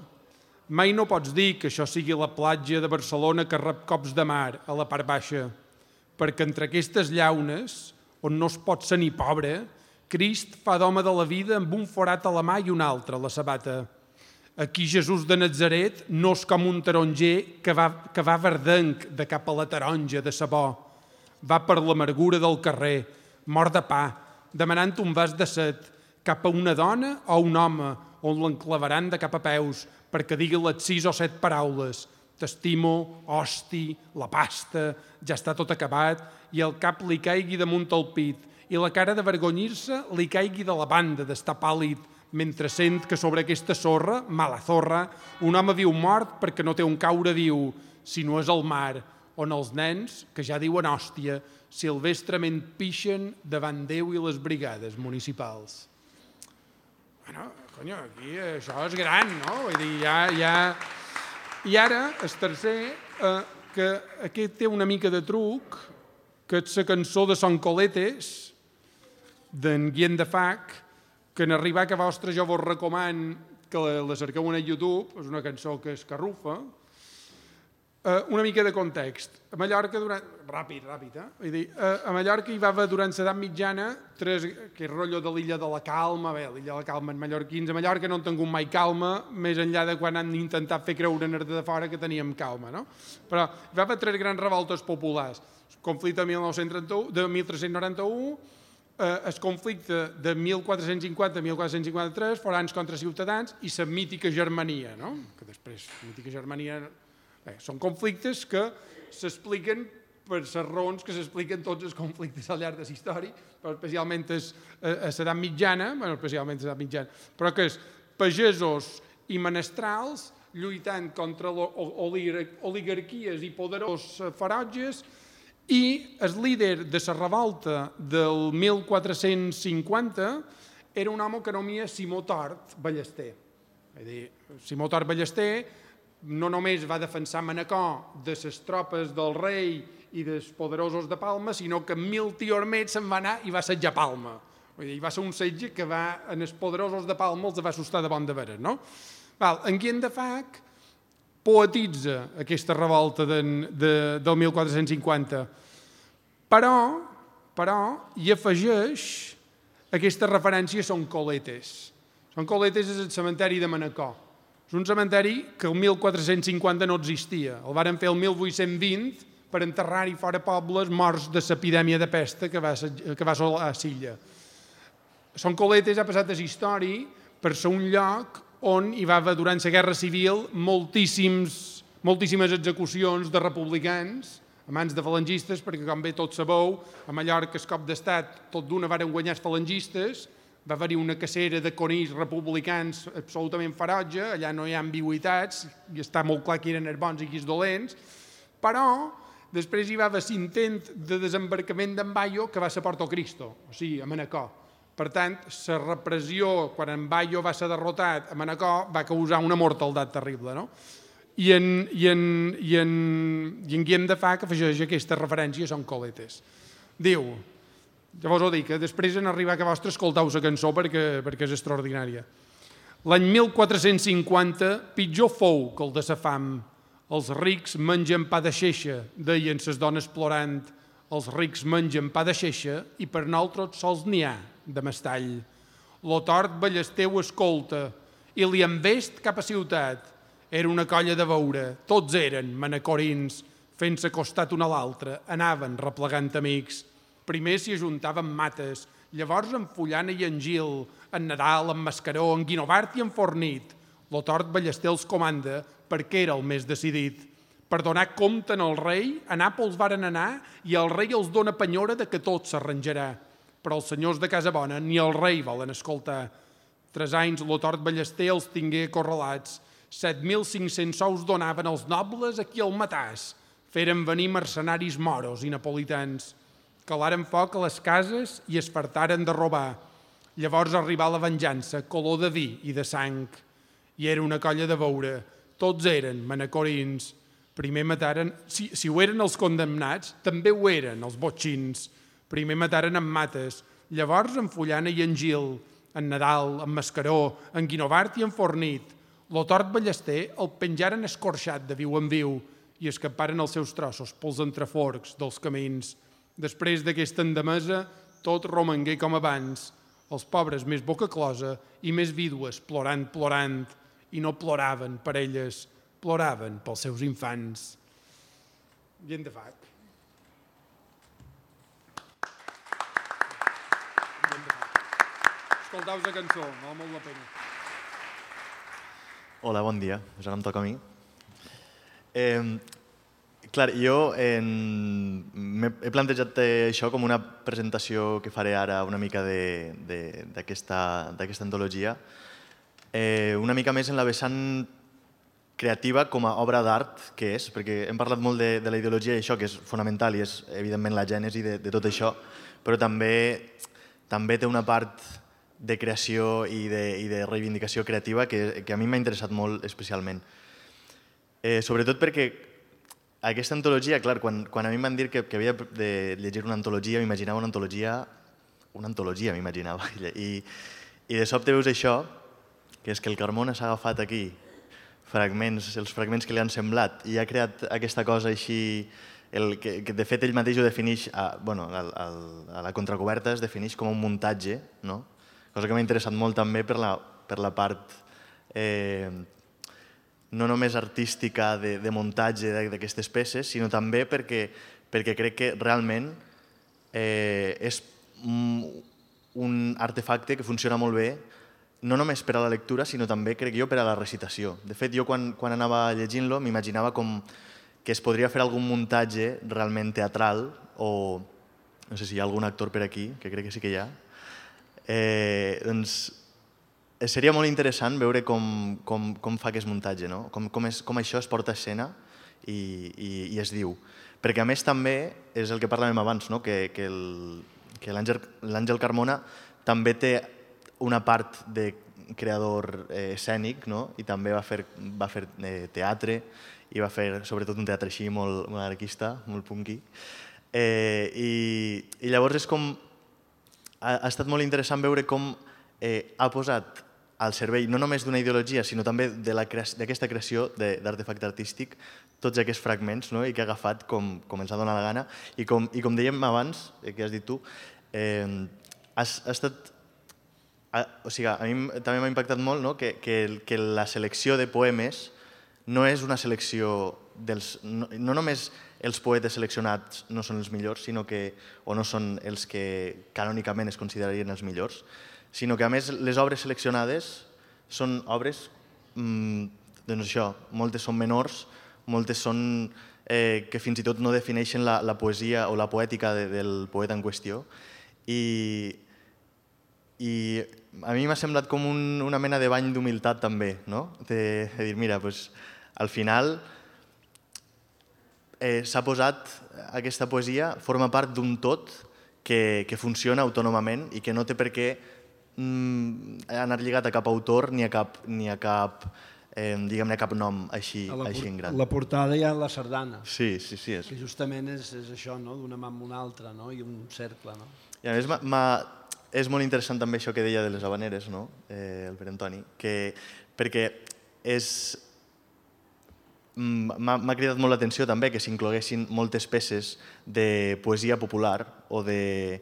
mai no pots dir que això sigui la platja de Barcelona que rep cops de mar a la part baixa, perquè entre aquestes llaunes, on no es pot ser ni pobre, Crist fa d'home de la vida amb un forat a la mà i un altre a la sabata. Aquí Jesús de Natzaret no és com un taronger que va, que va verdenc de cap a la taronja de sabó. Va per l'amargura del carrer, mort de pa, demanant un vas de set, cap a una dona o un home, on l'enclavaran de cap a peus, perquè digui les sis o set paraules. T'estimo, hosti, la pasta, ja està tot acabat, i el cap li caigui damunt el pit, i la cara de vergonyir-se li caigui de la banda d'estar pàl·lid, mentre sent que sobre aquesta sorra, mala zorra, un home viu mort perquè no té un caure viu, si no és el mar, on els nens, que ja diuen hòstia, silvestrament pixen davant Déu i les brigades municipals. Bueno, conyo, aquí això és gran, no? Vull dir, ja... ja... I ara, el tercer, eh, que aquest té una mica de truc, que és la cançó de Son Coletes, d'en Guillem de Fac, que en arribar a vostre jo vos recomano que la, la cerqueu a YouTube, és una cançó que és carrufa. Uh, una mica de context. A Mallorca, durant... ràpid, ràpid, eh? Vull dir, uh, a Mallorca hi va haver durant l'edat mitjana tres... que és rotllo de l'illa de la Calma, bé, l'illa de la Calma en mallorquins, a Mallorca no han tingut mai calma, més enllà de quan han intentat fer creure en de fora que teníem calma, no? Però hi va haver tres grans revoltes populars. El conflicte de mil nou-cents trenta-u, de mil tres-cents noranta-u, eh, el conflicte de mil quatre-cents cinquanta a mil quatre-cents cinquanta-tres, forans contra ciutadans, i la mítica Germania, no? Que després, la mítica Germania... Bé, són conflictes que s'expliquen per les raons que s'expliquen tots els conflictes al llarg de la història, però especialment a l'edat mitjana, bueno, especialment a l'edat mitjana, però que és pagesos i menestrals lluitant contra oligarquies i poderós ferotges, i el líder de la revolta del mil quatre-cents cinquanta era un home que anomia Simó Tort Ballester. És a dir, Simó Tort Ballester no només va defensar Manacor de les tropes del rei i dels poderosos de Palma, sinó que mil tios més se'n va anar i va assetjar Palma. Vull dir, va ser un setge que va, en els poderosos de Palma els va assustar de bon de veres, no? Val, en Guillem de Fac poetitza aquesta revolta de, de, del mil quatre-cents cinquanta, però però hi afegeix aquestes referències són coletes. Són coletes és el cementeri de Manacor. És un cementeri que el mil quatre-cents cinquanta no existia. El varen fer el mil vuit-cents vint per enterrar-hi fora pobles morts de l'epidèmia de pesta que va, que va assolar a Silla. Són coletes ha passat a la història per ser un lloc on hi va haver durant la Guerra Civil moltíssims, moltíssimes execucions de republicans a mans de falangistes, perquè com bé tots sabeu, a Mallorca el cop d'estat tot d'una varen guanyar els falangistes, va haver-hi una cacera de conills republicans absolutament ferotge, allà no hi ha ambigüitats, i està molt clar qui eren els bons i qui els dolents, però després hi va haver l'intent de desembarcament d'en Bayo que va ser a Porto Cristo, o sigui, a Manacor. Per tant, la repressió, quan en Bayo va ser derrotat a Manacor, va causar una mortaldat terrible, no? I en, i en, i en, i en Guillem de Fa, que afegeix aquestes referències, són coletes. Diu, llavors ho dic, que després en arribar a vostre escoltau la cançó perquè, perquè és extraordinària. L'any mil quatre-cents cinquanta, pitjor fou que el de sa fam. Els rics mengen pa de xeixa, deien ses dones plorant. Els rics mengen pa de xeixa i per nosaltres sols n'hi ha de mestall. Lo tort ballesteu escolta i li envest cap a ciutat. Era una colla de veure, tots eren manacorins, fent-se costat un a l'altre, anaven replegant amics. Primer s'hi ajuntaven mates, llavors en Fullana i en Gil, en Nadal, en Mascaró, en Guinovart i en Fornit. Lo tort ballester els comanda perquè era el més decidit. Per donar compte al rei, a Nàpols varen anar i el rei els dona penyora de que tot s'arranjarà. Però els senyors de Casa Bona ni el rei volen escoltar. Tres anys lo tort ballester els tingué acorralats. set mil cinc-cents sous donaven els nobles aquí al Matàs. Feren venir mercenaris moros i napolitans. Calaren foc a les cases i es fartaren de robar. Llavors arribà la venjança, color de vi i de sang. I era una colla de veure. Tots eren manacorins. Primer mataren, si, si ho eren els condemnats, també ho eren els botxins. Primer mataren en Mates, llavors en Fullana i en Gil, en Nadal, en Mascaró, en Guinovart i en Fornit. Lo tort ballester el penjaren escorxat de viu en viu i escaparen els seus trossos pels entreforcs dels camins. Després d'aquesta endemesa, tot romangué com abans, els pobres més boca closa i més vídues plorant, plorant, i no ploraven per elles, ploraven pels seus infants. Gent de fac. Escoltau la cançó, val molt la pena. Hola, bon dia. Ja no em toca a mi. Eh, clar, jo en... he plantejat això com una presentació que faré ara una mica d'aquesta antologia, eh, una mica més en la vessant creativa com a obra d'art que és, perquè hem parlat molt de, de la ideologia i això, que és fonamental i és evidentment la gènesi de, de tot això, però també, també té una part de creació i de, i de reivindicació creativa que, que a mi m'ha interessat molt especialment. Eh, sobretot perquè aquesta antologia, clar, quan, quan a mi em van dir que, que havia de llegir una antologia, m'imaginava una antologia, una antologia m'imaginava, i, i de sobte veus això, que és que el Carmona s'ha agafat aquí fragments, els fragments que li han semblat i ha creat aquesta cosa així, el, que, que de fet ell mateix ho defineix, a, bueno, a, a, a la contracoberta es defineix com un muntatge, no? Cosa que m'ha interessat molt també per la, per la part eh, no només artística de, de muntatge d'aquestes peces, sinó també perquè, perquè crec que realment eh, és un artefacte que funciona molt bé, no només per a la lectura, sinó també, crec jo, per a la recitació. De fet, jo quan, quan anava llegint-lo m'imaginava com que es podria fer algun muntatge realment teatral o no sé si hi ha algun actor per aquí, que crec que sí que hi ha. Eh, doncs seria molt interessant veure com, com, com fa aquest muntatge, no? com, com, és, com això es porta a escena i, i, i es diu. Perquè a més també és el que parlàvem abans, no? que, que l'Àngel Carmona també té una part de creador eh, escènic, no? I també va fer, va fer eh, teatre i va fer sobretot un teatre així molt, molt anarquista, molt punky. Eh, i, I llavors és com... Ha estat molt interessant veure com eh, ha posat al servei no només d'una ideologia, sinó també d'aquesta creació d'artefacte artístic, tots aquests fragments, no? I que ha agafat com, com ens ha donat la gana. I com, i com dèiem abans, que has dit tu, eh, has, ha estat... O sigui, a mi també m'ha impactat molt, no? que, que, que la selecció de poemes no és una selecció dels... No, no només els poetes seleccionats no són els millors, sinó que, o no són els que canònicament es considerarien els millors, sinó que a més les obres seleccionades són obres, mmm, doncs això, moltes són menors, moltes són eh, que fins i tot no defineixen la, la poesia o la poètica de, del poeta en qüestió. I, i a mi m'ha semblat com un, una mena de bany d'humilitat també, no? De, de dir, mira, doncs, al final eh, s'ha posat aquesta poesia, forma part d'un tot que, que funciona autònomament i que no té per què mm, anar lligat a cap autor ni a cap, ni a cap, eh, diguem-ne, cap nom així, així en gran. La portada hi ha la sardana. Sí, sí, sí. És. Que justament és, és això, no? D'una mà amb una altra, no? I un cercle, no? I a més, és molt interessant també això que deia de les habaneres, no? eh, el Pere Antoni, que, perquè és... m'ha cridat molt l'atenció també que s'incloguessin moltes peces de poesia popular o de,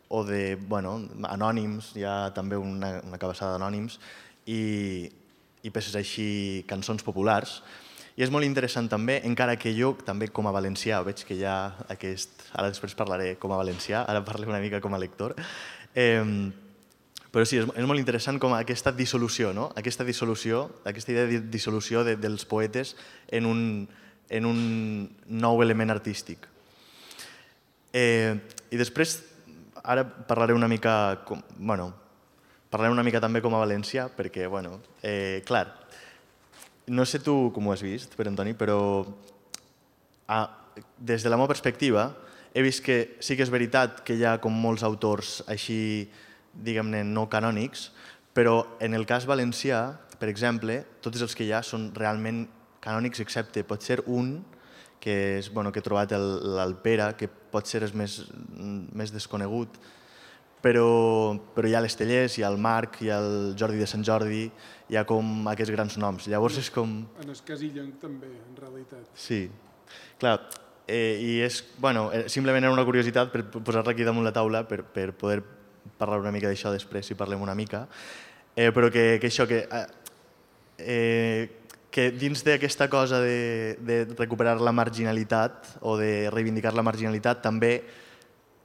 o de bueno, anònims, hi ha també una, una cabassada d'anònims, i, i peces així, cançons populars. I és molt interessant també, encara que jo també com a valencià, veig que hi ha aquest... Ara després parlaré com a valencià, ara parlaré una mica com a lector. Eh, però sí, és, és molt interessant com aquesta dissolució, no? Aquesta dissolució, aquesta idea de dissolució de, dels poetes en un, en un nou element artístic. Eh, I després, ara parlaré una mica, com, bueno, parlaré una mica també com a valencià, perquè, bueno, eh, clar, no sé tu com ho has vist, Pere Antoni, però ah, des de la meva perspectiva he vist que sí que és veritat que hi ha com molts autors així, diguem-ne, no canònics, però en el cas valencià, per exemple, tots els que hi ha són realment canònics, excepte pot ser un, que, és, bueno, que he trobat l'Alpera, que pot ser el més, més desconegut, però, però hi ha l'Estellers, hi ha el Marc, hi ha el Jordi de Sant Jordi, hi ha com aquests grans noms. Llavors és com... En Escasillenc també, en realitat. Sí, clar, eh, i és, bueno, simplement era una curiositat per posar-la aquí damunt la taula, per, per poder parlar una mica d'això després, si parlem una mica, eh, però que, que això, que, eh, que dins d'aquesta cosa de, de recuperar la marginalitat o de reivindicar la marginalitat també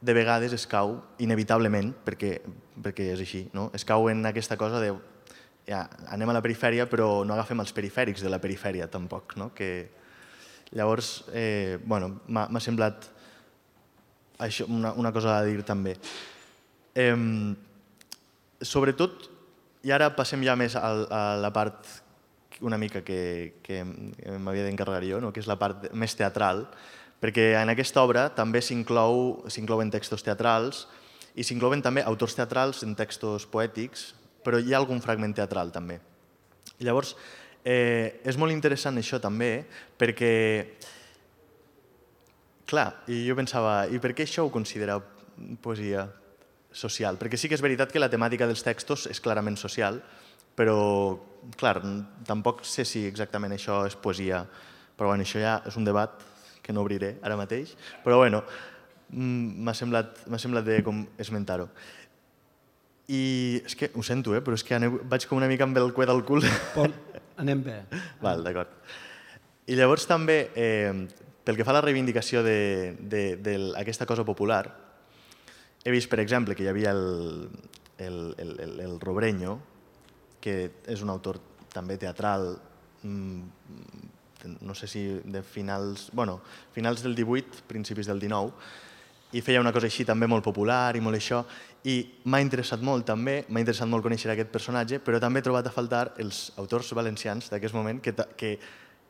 de vegades es cau, inevitablement, perquè, perquè és així, no? Es cau en aquesta cosa de ja, anem a la perifèria però no agafem els perifèrics de la perifèria tampoc, no? Que, llavors, eh, bueno, m'ha semblat això, una, una cosa a dir també. Eh, sobretot, i ara passem ja més a, a la part una mica que, que m'havia d'encarregar jo, no? Que és la part més teatral, perquè en aquesta obra també s'inclouen textos teatrals i s'inclouen també autors teatrals en textos poètics, però hi ha algun fragment teatral també. Llavors, eh, és molt interessant això també, perquè, clar, i jo pensava, i per què això ho considereu poesia social? Perquè sí que és veritat que la temàtica dels textos és clarament social, però, clar, tampoc sé si exactament això és poesia, però bueno, això ja és un debat que no obriré ara mateix, però bueno, m'ha semblat, m'ha semblat bé com esmentar-ho. I és que, ho sento, eh, però és que aneu, vaig com una mica amb el cuet al cul. Anem bé. Val, d'acord. I llavors també, eh, pel que fa a la reivindicació d'aquesta cosa popular, he vist, per exemple, que hi havia el, el, el, el, el Robreño, que és un autor també teatral, no sé si de finals, bueno, finals del divuit, principis del dinou, i feia una cosa així també molt popular i molt això, i m'ha interessat molt també, m'ha interessat molt conèixer aquest personatge, però també he trobat a faltar els autors valencians d'aquest moment que, que,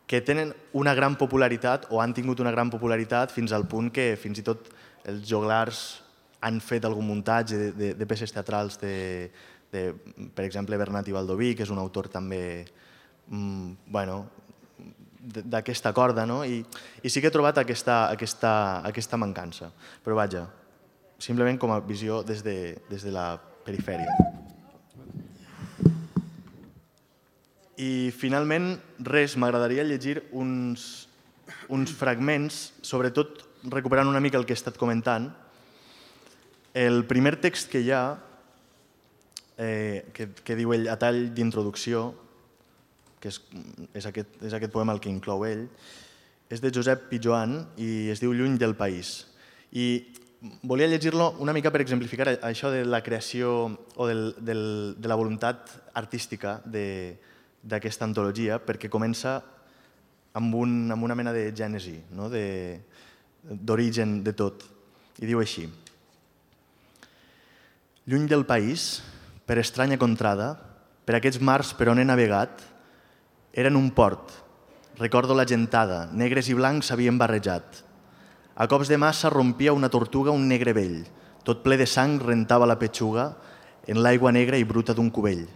que tenen una gran popularitat o han tingut una gran popularitat fins al punt que fins i tot els joglars han fet algun muntatge de, de, de peces teatrals de, de, per exemple, Bernat i Baldoví, que és un autor també, mmm, bueno, d'aquesta corda, no? I, i sí que he trobat aquesta, aquesta, aquesta mancança. Però vaja, simplement com a visió des de, des de la perifèria. I finalment, res, m'agradaria llegir uns, uns fragments, sobretot recuperant una mica el que he estat comentant. El primer text que hi ha, eh, que, que diu ell a tall d'introducció, que és, és, aquest, és aquest poema el que inclou ell, és de Josep Pijoan i es diu Lluny del país. I volia llegir-lo una mica per exemplificar això de la creació o del, del, de la voluntat artística d'aquesta antologia, perquè comença amb, un, amb una mena de gènesi, no? d'origen de, de tot. I diu així: lluny del país, per estranya contrada, per aquests mars per on he navegat, eren un port. Recordo la gentada, negres i blancs s'havien barrejat. A cops de massa rompia una tortuga un negre vell. Tot ple de sang rentava la petxuga en l'aigua negra i bruta d'un cubell.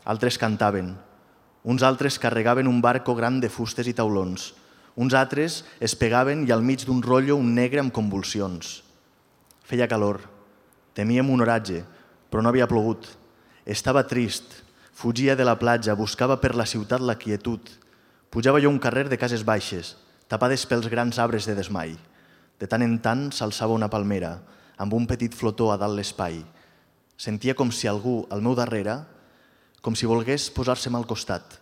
Altres cantaven. Uns altres carregaven un barco gran de fustes i taulons. Uns altres es pegaven i al mig d'un rotllo un negre amb convulsions. Feia calor. Temíem un oratge, però no havia plogut. Estava trist. Fugia de la platja, buscava per la ciutat la quietud. Pujava jo un carrer de cases baixes, tapades pels grans arbres de desmai. De tant en tant s'alçava una palmera, amb un petit flotó a dalt l'espai. Sentia com si algú, al meu darrere, com si volgués posar-se'm al costat.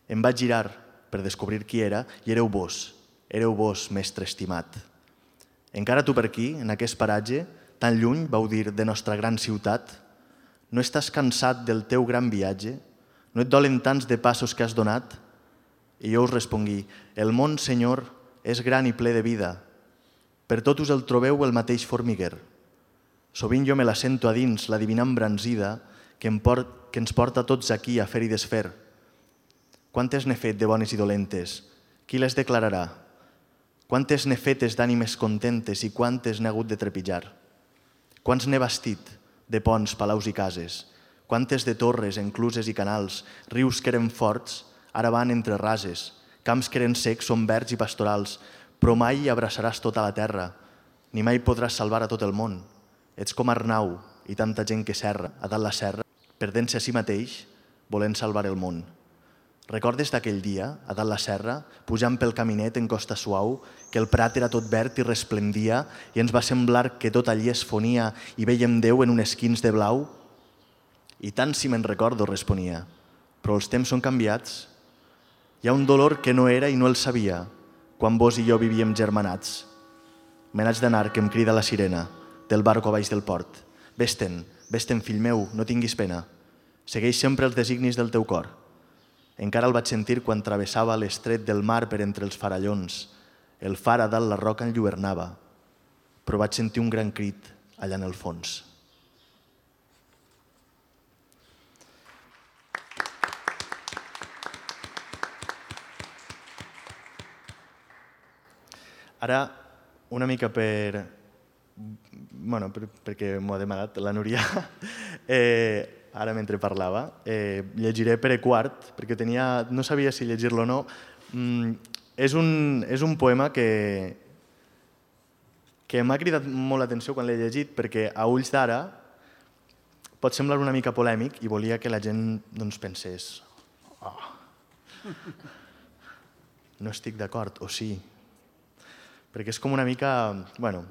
Em vaig girar per descobrir qui era i éreu vos, éreu vos, mestre estimat. Encara tu per aquí, en aquest paratge, tan lluny, vau dir, de nostra gran ciutat, no estàs cansat del teu gran viatge? No et dolen tants de passos que has donat? I jo us respongui: el món, senyor, és gran i ple de vida. Per tot us el trobeu el mateix formiguer. Sovint jo me la sento a dins, la divina embranzida, que, em port, que ens porta tots aquí a fer i desfer. Quantes n'he fet de bones i dolentes? Qui les declararà? Quantes n'he fetes d'ànimes contentes i quantes n'he hagut de trepitjar? Quants n'he bastit, de ponts, palaus i cases? Quantes de torres, encluses i canals, rius que eren forts, ara van entre rases, camps que eren secs són verds i pastorals, però mai abraçaràs tota la terra, ni mai podràs salvar a tot el món. Ets com Arnau i tanta gent que serra a dalt la serra, perdent-se a si mateix, volent salvar el món. Recordes d'aquell dia, a dalt la serra, pujant pel caminet en costa suau, que el prat era tot verd i resplendia i ens va semblar que tot allí es fonia i veiem Déu en un esquins de blau? I tant si me'n recordo, responia, però els temps són canviats. Hi ha un dolor que no era i no el sabia, quan vos i jo vivíem germanats. Me n'haig d'anar, que em crida la sirena, del barco a baix del port. Vés-te'n, vés-te'n, fill meu, no tinguis pena. Segueix sempre els designis del teu cor. Encara el vaig sentir quan travessava l'estret del mar per entre els farallons. El far a dalt la roca enlluernava, però vaig sentir un gran crit allà en el fons. Ara, una mica per... bueno, per, perquè m'ho ha demanat la Núria, eh, ara mentre parlava, eh, llegiré Pere quart, perquè tenia, no sabia si llegir-lo o no. Mm, és, un, és un poema que, que m'ha cridat molt l'atenció quan l'he llegit, perquè a ulls d'ara pot semblar una mica polèmic i volia que la gent doncs, pensés: oh, no estic d'acord, o sí. Perquè és com una mica... bueno,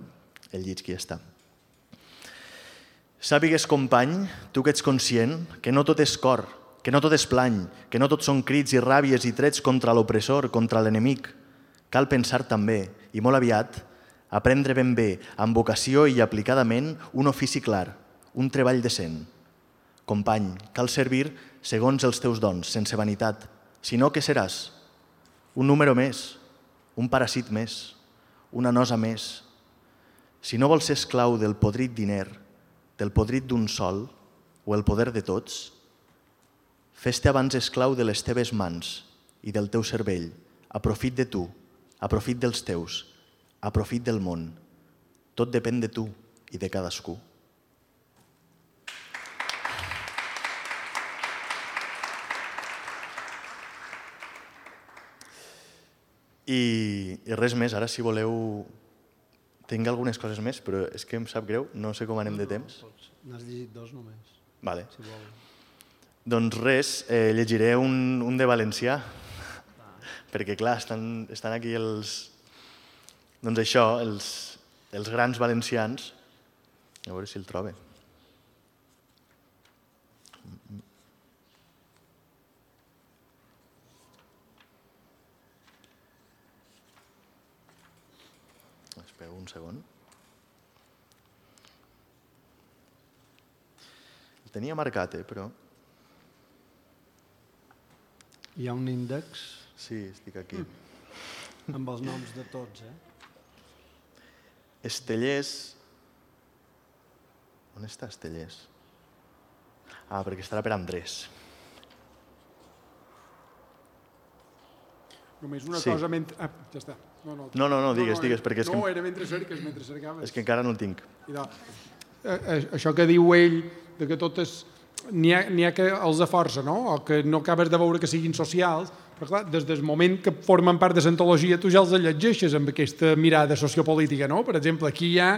el llits qui està. Sàpigues, company, tu que ets conscient, que no tot és cor, que no tot és plany, que no tot són crits i ràbies i trets contra l'opressor, contra l'enemic. Cal pensar també, i molt aviat, aprendre ben bé, amb vocació i aplicadament, un ofici clar, un treball decent. Company, cal servir segons els teus dons, sense vanitat. Si no, què seràs? Un número més, un paràsit més, una nosa més. Si no vols ser esclau del podrit diner, del podrit d'un sol o el poder de tots, fes-te abans esclau de les teves mans i del teu cervell. Aprofit de tu, aprofit dels teus, aprofit del món. Tot depèn de tu i de cadascú. I, i res més, ara si voleu... Tinc algunes coses més, però és que em sap greu, no sé com anem de temps. N'has llegit dos només. Vale. Si vol. Doncs res, eh, llegiré un, un de valencià, perquè clar, estan, estan aquí els... Doncs això, els, els grans valencians. A veure si el trobe. Espera un segon. El tenia marcat, eh, però... Hi ha un índex Sí, estic aquí. amb els noms de tots, eh? Estellers... On està Estellers? Ah, perquè estarà per Andrés. Només una Sí. cosa... Mentre... Ah, ja està. No, no, No, no, no, digues, digues, perquè és que... No, era mentre cerques, mentre cercaves. És que encara no el tinc. I de, eh, eh, això que diu ell, de que totes... N'hi ha, n'hi ha que els de força, no? O que no acabes de veure que siguin socials, però clar, des del moment que formen part de l'antologia tu ja els llegeixes amb aquesta mirada sociopolítica, no? Per exemple, aquí hi ha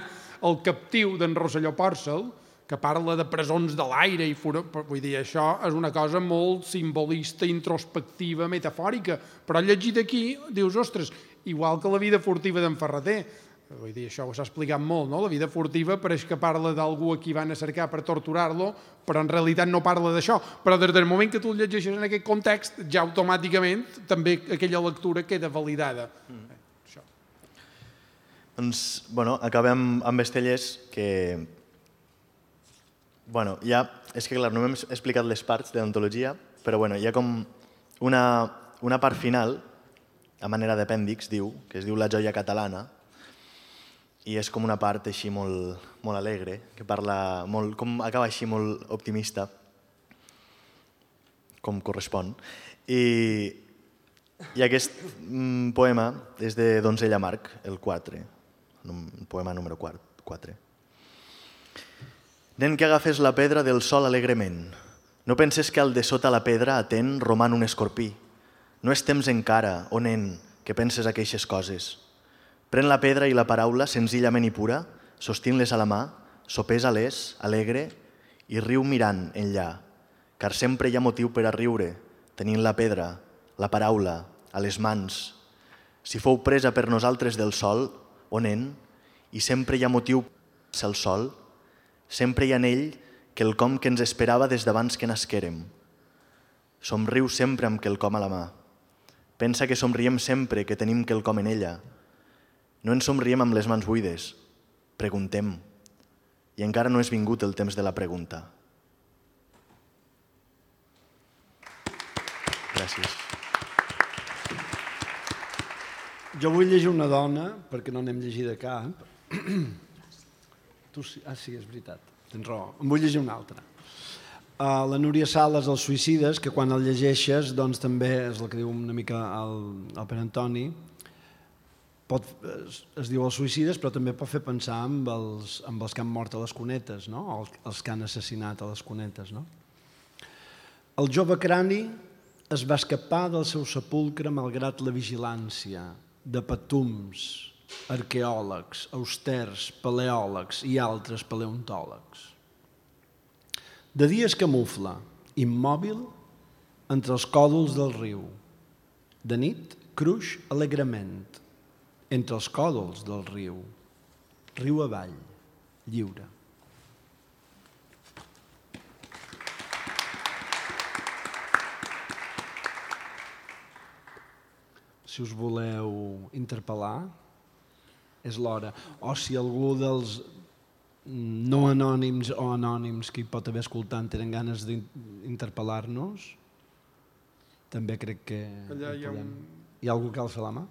el captiu d'en Rosselló Pòrcel, que parla de presons de l'aire i fura... Vull dir, això és una cosa molt simbolista, introspectiva, metafòrica, però llegit aquí dius, ostres, igual que la vida furtiva d'en Ferreter. Vull dir, això s'ha explicat molt, no? La vida furtiva pareix que parla d'algú a qui van a cercar per torturar-lo, però en realitat no parla d'això. Però des del moment que tu el llegeixes en aquest context, ja automàticament també aquella lectura queda validada. Mm. Això. Doncs, bueno, acabem amb Estellers, que... Bueno, ja... És que, clar, no hem explicat les parts de l'antologia, però bueno, hi ha com una, una part final, a manera d'apèndix, diu, que es diu La joia catalana, i és com una part així molt, molt alegre, que parla molt, com acaba així molt optimista, com correspon. I, i aquest mm, poema és de Donzella Marc, el quatre, el poema número quatre. Nen que agafes la pedra del sol alegrement, no penses que al de sota la pedra atent roman un escorpí. No és temps encara, oh nen, que penses aqueixes coses. Pren la pedra i la paraula senzillament i pura, sostint-les a la mà, sopesa-les, alegre, i riu mirant enllà, car sempre hi ha motiu per a riure, tenint la pedra, la paraula, a les mans. Si fou presa per nosaltres del sol, o nen, i sempre hi ha motiu per al sol, sempre hi ha en ell quelcom que ens esperava des d'abans que nasquérem. Somriu sempre amb quelcom a la mà. Pensa que somriem sempre que tenim quelcom en ella. No ens somriem amb les mans buides, preguntem, i encara no és vingut el temps de la pregunta. Gràcies. Jo vull llegir una dona, perquè no n'hem llegit de cap. Tu sí, ah, sí, és veritat, tens raó. En vull llegir una altra. Uh, la Núria Sales, Els suïcides, que quan el llegeixes, doncs també és el que diu una mica el, el Pere Antoni, pot, es, es diu Els suïcides, però també pot fer pensar amb els, amb els que han mort a les cunetes, no? Els, els que han assassinat a les cunetes. No? El jove crani es va escapar del seu sepulcre malgrat la vigilància de patums, arqueòlegs, austers, paleòlegs i altres paleontòlegs. De dia es camufla, immòbil, entre els còdols del riu. De nit, cruix alegrement, entre els còdols del riu. Riu avall, lliure. Si us voleu interpel·lar, és l'hora. O si algú dels no anònims o anònims que hi pot haver escoltant tenen ganes d'interpel·lar-nos, també crec que... Allà hi ha un... Hi ha algú que alça la mà?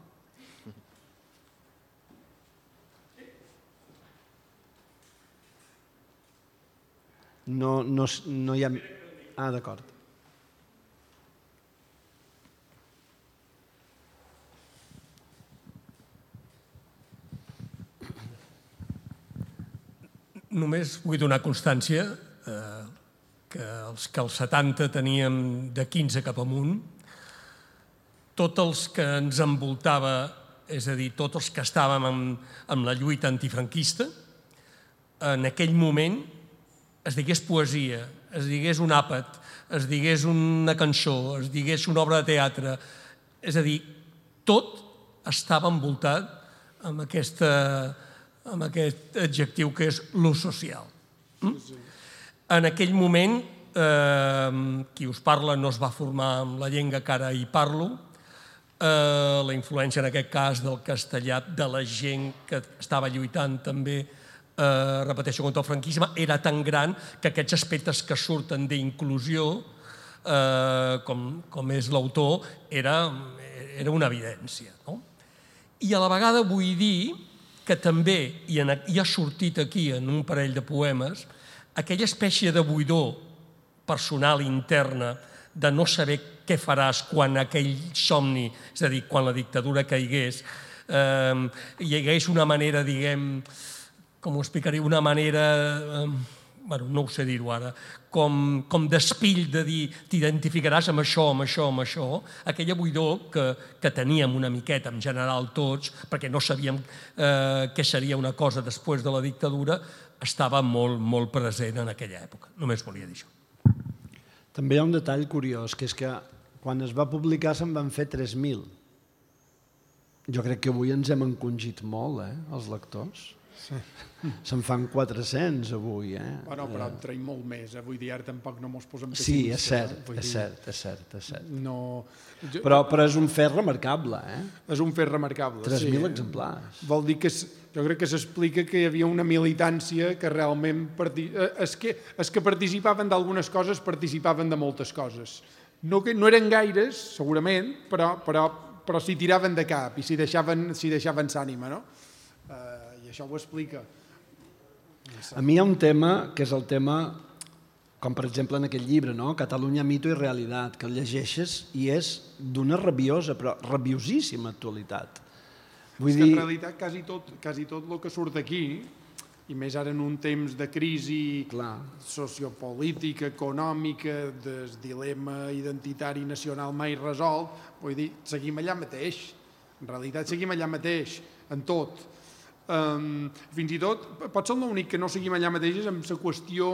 No, no, no hi ha... Ah, d'acord. Només vull donar constància eh, que els que als setanta teníem de quinze cap amunt, tots els que ens envoltava, és a dir, tots els que estàvem en, en la lluita antifranquista, en aquell moment es digués poesia, es digués un àpat, es digués una cançó, es digués una obra de teatre. És a dir, tot estava envoltat amb, aquesta, amb aquest adjectiu que és lo social. En aquell moment, eh, qui us parla no es va formar amb la llengua que ara hi parlo. Eh, la influència, en aquest cas, del castellà, de la gent que estava lluitant també, eh, repeteixo, contra el franquisme, era tan gran que aquests aspectes que surten d'inclusió, eh, com, com és l'autor, era, era una evidència. No? I a la vegada vull dir que també, i, en, i ha sortit aquí en un parell de poemes, aquella espècie de buidor personal interna de no saber què faràs quan aquell somni, és a dir, quan la dictadura caigués, eh, hi hagués una manera, diguem, com ho explicaré, una manera, eh, bueno, no ho sé dir-ho ara, com, com d'espill de dir t'identificaràs amb això, amb això, amb això, aquella buidor que, que teníem una miqueta en general tots, perquè no sabíem eh, què seria una cosa després de la dictadura, estava molt, molt present en aquella època. Només volia dir això. També hi ha un detall curiós, que és que quan es va publicar se'n van fer tres mil. Jo crec que avui ens hem encongit molt, eh, els lectors. Sí. Se'n fan quatre-cents avui, eh? Bueno, però en traiem molt més, eh? Vull dir, ara tampoc no mos posem pessimistes. Sí, és cert, és cert, és cert, és cert. No... Jo... Però, però és un fet remarcable, eh? És un fet remarcable, tres mil sí. exemplars. Vol dir que jo crec que s'explica que hi havia una militància que realment... Parti... És que, és que participaven d'algunes coses, participaven de moltes coses. No, que, no eren gaires, segurament, però, però, però s'hi tiraven de cap i s'hi deixaven, s'hi deixaven s'ànima, no? Uh, I això ho explica. A mi hi ha un tema que és el tema, com per exemple en aquest llibre, no? Catalunya, mito i realitat, que el llegeixes i és d'una rabiosa, però rabiosíssima actualitat. Vull és que dir... en realitat quasi tot, quasi tot el que surt aquí, i més ara en un temps de crisi Clar. sociopolítica, econòmica, del dilema identitari nacional mai resolt, vull dir, seguim allà mateix. En realitat seguim allà mateix, en tot. Um, fins i tot, pot ser l'únic que no seguim allà mateix és amb la qüestió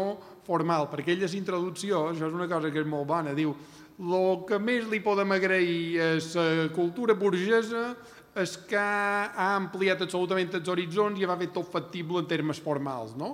formal, perquè ella és introducció, això és una cosa que és molt bona, diu, el que més li podem agrair a la cultura burgesa és que ha ampliat absolutament els horitzons i va fer tot factible en termes formals, no?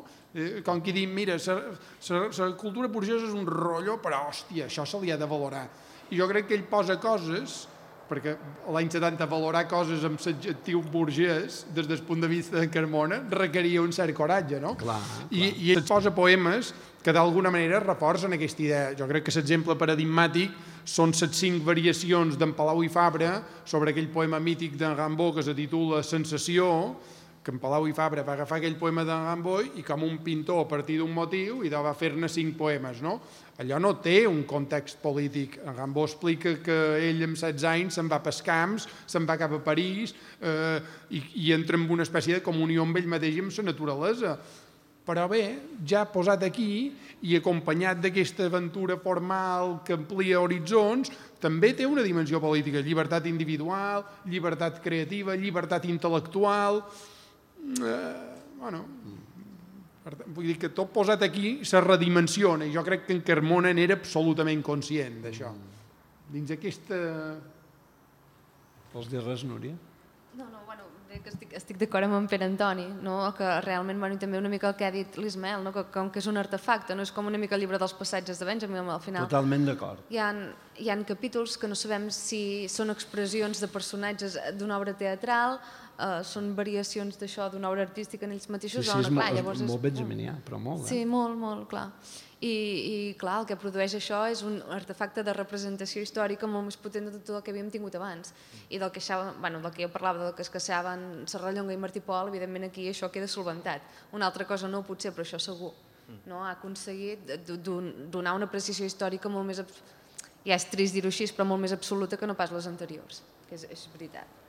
Com qui diu, mira, la cultura burgesa és un rotllo, però hòstia, això se li ha de valorar. I jo crec que ell posa coses, perquè l'any setanta valorar coses amb l'adjectiu burgès, des del punt de vista de Carmona, requeria un cert coratge, no? Clar, I, clar. I ell posa poemes que d'alguna manera reforcen aquesta idea. Jo crec que l'exemple paradigmàtic són les cinc variacions d'en Palau i Fabra sobre aquell poema mític d'en Rimbaud que se titula Sensació, que en Palau i Fabra va agafar aquell poema d'en Rimbaud i com un pintor a partir d'un motiu i va fer-ne cinc poemes, no? Allò no té un context polític. En Rimbaud explica que ell amb setze anys se'n va pels camps, se'n va cap a París eh, i, i entra en una espècie de comunió amb ell mateix i amb la naturalesa. Però bé, ja posat aquí i acompanyat d'aquesta aventura formal que amplia horitzons, també té una dimensió política, llibertat individual, llibertat creativa, llibertat intel·lectual... Eh, bueno, vull dir que tot posat aquí se redimensiona i jo crec que en Carmona n'era absolutament conscient d'això. Dins aquesta... Vols dir res, Núria? No, no, bueno, que estic, estic d'acord amb en Pere Antoni, no? Que realment, bueno, també una mica el que ha dit l'Ismael, no? Que com que és un artefacte, no és com una mica el llibre dels passatges de Benjamin, al final. Totalment d'acord. Hi ha, hi ha capítols que no sabem si són expressions de personatges d'una obra teatral, Uh, són variacions d'això d'una obra artística en ells mateixos. Sí, sí, és, clar, molt, és molt benjaminià, però molt. Eh? Sí, molt, molt, clar. I, i clar, el que produeix això és un artefacte de representació històrica molt més potent de tot el que havíem tingut abans. I del que, això, bueno, del que jo parlava, del que es caçaven Serrallonga i Martí Pol, evidentment aquí això queda solventat. Una altra cosa no, potser, però això segur. No? Ha aconseguit donar una apreciació històrica molt més... Ja és trist dir-ho així, però molt més absoluta que no pas les anteriors, que és, és veritat.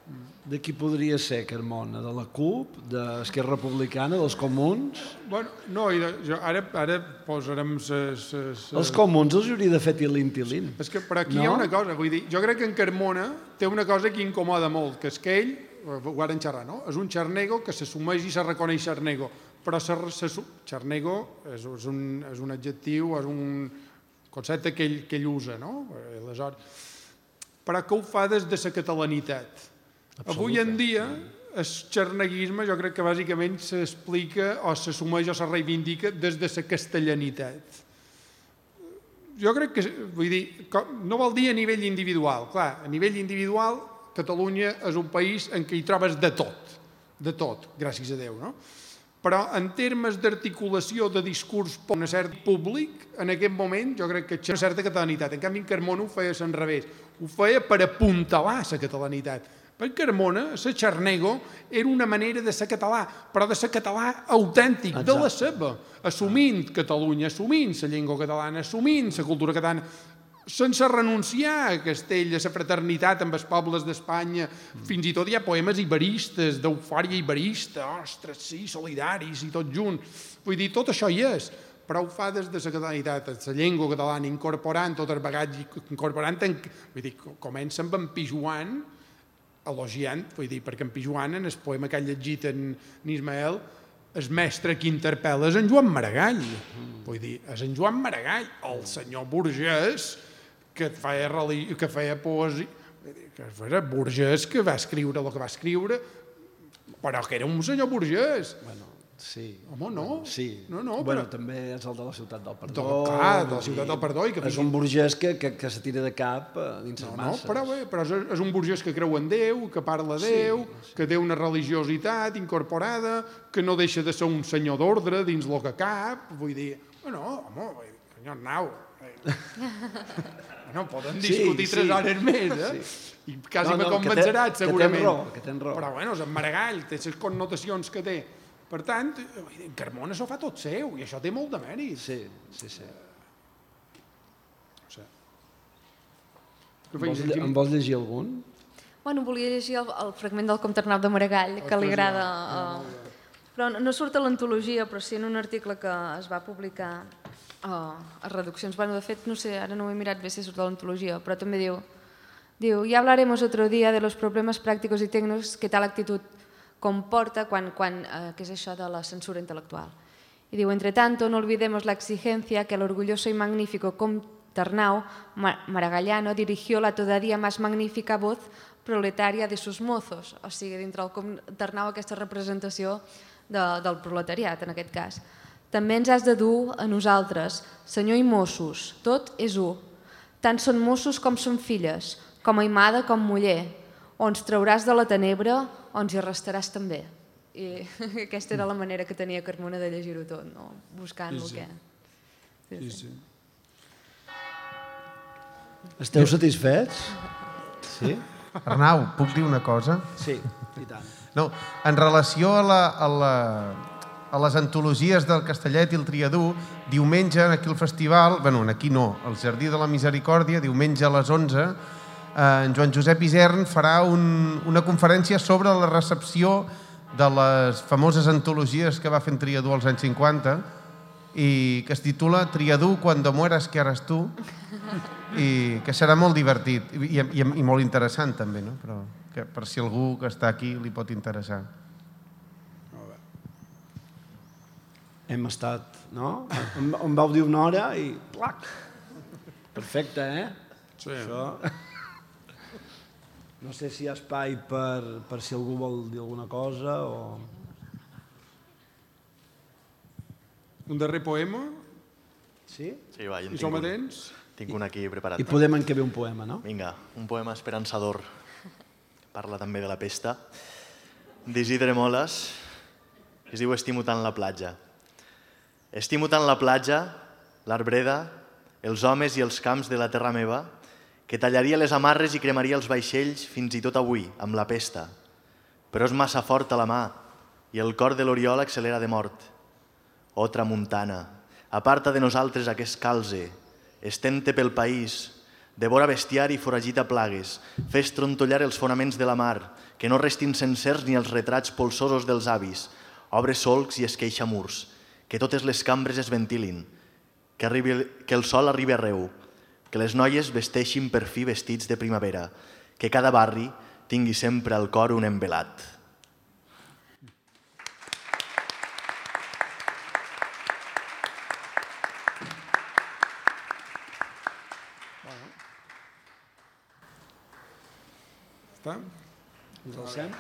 De qui podria ser, Carmona? De la C U P, d'Esquerra Republicana, dels Comuns? Bueno, no, i de, jo, ara, ara posarem... Ses, ses, Els Comuns els hauria de fer tilín-tilín. És que per aquí no? Hi ha una cosa, vull dir, jo crec que en Carmona té una cosa que incomoda molt, que és que ell, ho varen xerrar, no? És un xarnego que s'assumeix i se reconeix xarnego. però xarnego és un adjectiu, és un concepte que ell usa, no? Però que ho fa des de la catalanitat. Avui en dia, el xarneguisme jo crec que bàsicament s'explica o s'assumeix o se reivindica des de la castellanitat. Jo crec que, vull dir, no vol dir a nivell individual. Clar, a nivell individual, Catalunya és un país en què hi trobes de tot, de tot, gràcies a Déu, no? Però en termes d'articulació de discurs per un cert públic, en aquest moment jo crec que hi ha una certa catalanitat. En canvi, en Carmona ho feia a l'enrevés. Ho feia per apuntalar la catalanitat. Per Carmona, la xarnego era una manera de ser català, però de ser català autèntic, de la seva, assumint Catalunya, assumint la llengua catalana, assumint la cultura catalana, sense renunciar a Castell, a la fraternitat amb els pobles d'Espanya. Fins i tot hi ha poemes iberistes, d'eufòria iberista, ostres, sí, solidaris i tot junt. Vull dir, tot això hi és, però ho fa des de la catalanitat, la llengua catalana, incorporant tot el bagatge, incorporant... Vull dir, comença amb en Pijuan, elogiant, vull dir, perquè en Pijuan, en el poema que ha llegit en Ismael, el mestre que interpel·la és en Joan Maragall. Vull dir, és en Joan Maragall, el senyor burgès que feia, que feia poesia, que era burgès que va escriure el que va escriure, però que era un senyor burgès. Bueno, sí. Home, no. Sí. No, no, bueno, però... també és el de la Ciutat del Perdó. Clar, de la Ciutat del Perdó. I que és un burgès que, que, que se tira de cap dins les no, masses. No, però, bé, però és, és un burgès que creu en Déu, que parla de Déu, sí, sí. que té una religiositat incorporada, que no deixa de ser un senyor d'ordre dins el que cap. Vull dir, bueno, home, senyor Arnau... No, poden discutir sí, tres sí, hores més, eh? Sí. I quasi no, no, me convenceràs, segurament. Que tens raó, que tens raó. Però, bueno, és en Maragall, té les connotacions que té. Per tant, en Carmona s'ho fa tot seu, i això té molt de mèrit. Sí, sí, sí. O sigui, em, vols, em vols llegir algun? Bueno, volia llegir el, el fragment del Comte Arnau de Maragall, que li agrada... Eh, però no surt a l'antologia, però sí en un article que es va publicar Oh, a reduccions. Bueno, de fet, no sé, ara no ho he mirat bé si surt de l'antologia, però també diu, diu, ya hablaremos otro día de los problemas prácticos y técnicos que tal actitud comporta quan, quan, eh, que és això de la censura intel·lectual. I diu, entre tanto, no olvidemos la exigencia que el orgulloso y magnífico Comte Arnau Maragallano dirigió la todavía más magnífica voz proletaria de sus mozos. O sigui, dintre el Comte Arnau aquesta representació de, del proletariat, en aquest cas. També ens has de dur a nosaltres, senyor i Mossos, tot és u. Tant són Mossos com són filles, com aimada com muller. O ens trauràs de la tenebra o ens hi arrestaràs també. I aquesta era la manera que tenia Carmona de llegir-ho tot, no? Buscant el que... Sí, sí. Esteu satisfets? Sí? Arnau, puc dir una cosa? Sí, i tant. No, en relació a la... A la... a les antologies del Castellet i el Triadú, diumenge, aquí al festival, bueno, aquí no, al Jardí de la Misericòrdia, diumenge a les onze, eh, en Joan Josep Isern farà un, una conferència sobre la recepció de les famoses antologies que va fer en Triadú als anys cinquanta i que es titula Triadú, cuando mueras, ¿qué harás tú? I que serà molt divertit i, i, i molt interessant també, no? Però que per si algú que està aquí li pot interessar. Hem estat, no? Em vau dir una hora i... Plac! Perfecte, eh? Sí. Això... No sé si hi ha espai per, per si algú vol dir alguna cosa o... Un darrer poema? Sí? Sí, va, I som atents? Tinc un aquí preparat. I podem encabir un poema, no? Vinga, un poema esperançador. Parla també de la pesta. D'Isidre Moles. Es diu Estimo tant la platja. Estimo tant la platja, l'arbreda, els homes i els camps de la terra meva, que tallaria les amarres i cremaria els vaixells fins i tot avui, amb la pesta. Però és massa forta la mà i el cor de l'Oriol accelera de mort. Oh, tramuntana, aparta de nosaltres aquest calze, estén-te pel país, devora bestiar i foragita plagues, fes trontollar els fonaments de la mar, que no restin sencers ni els retrats polsosos dels avis, obre solcs i esqueixa murs, que totes les cambres es ventilin, que, arribi, que el sol arribi arreu, que les noies vesteixin per fi vestits de primavera, que cada barri tingui sempre al cor un envelat. Està? Ens alcem?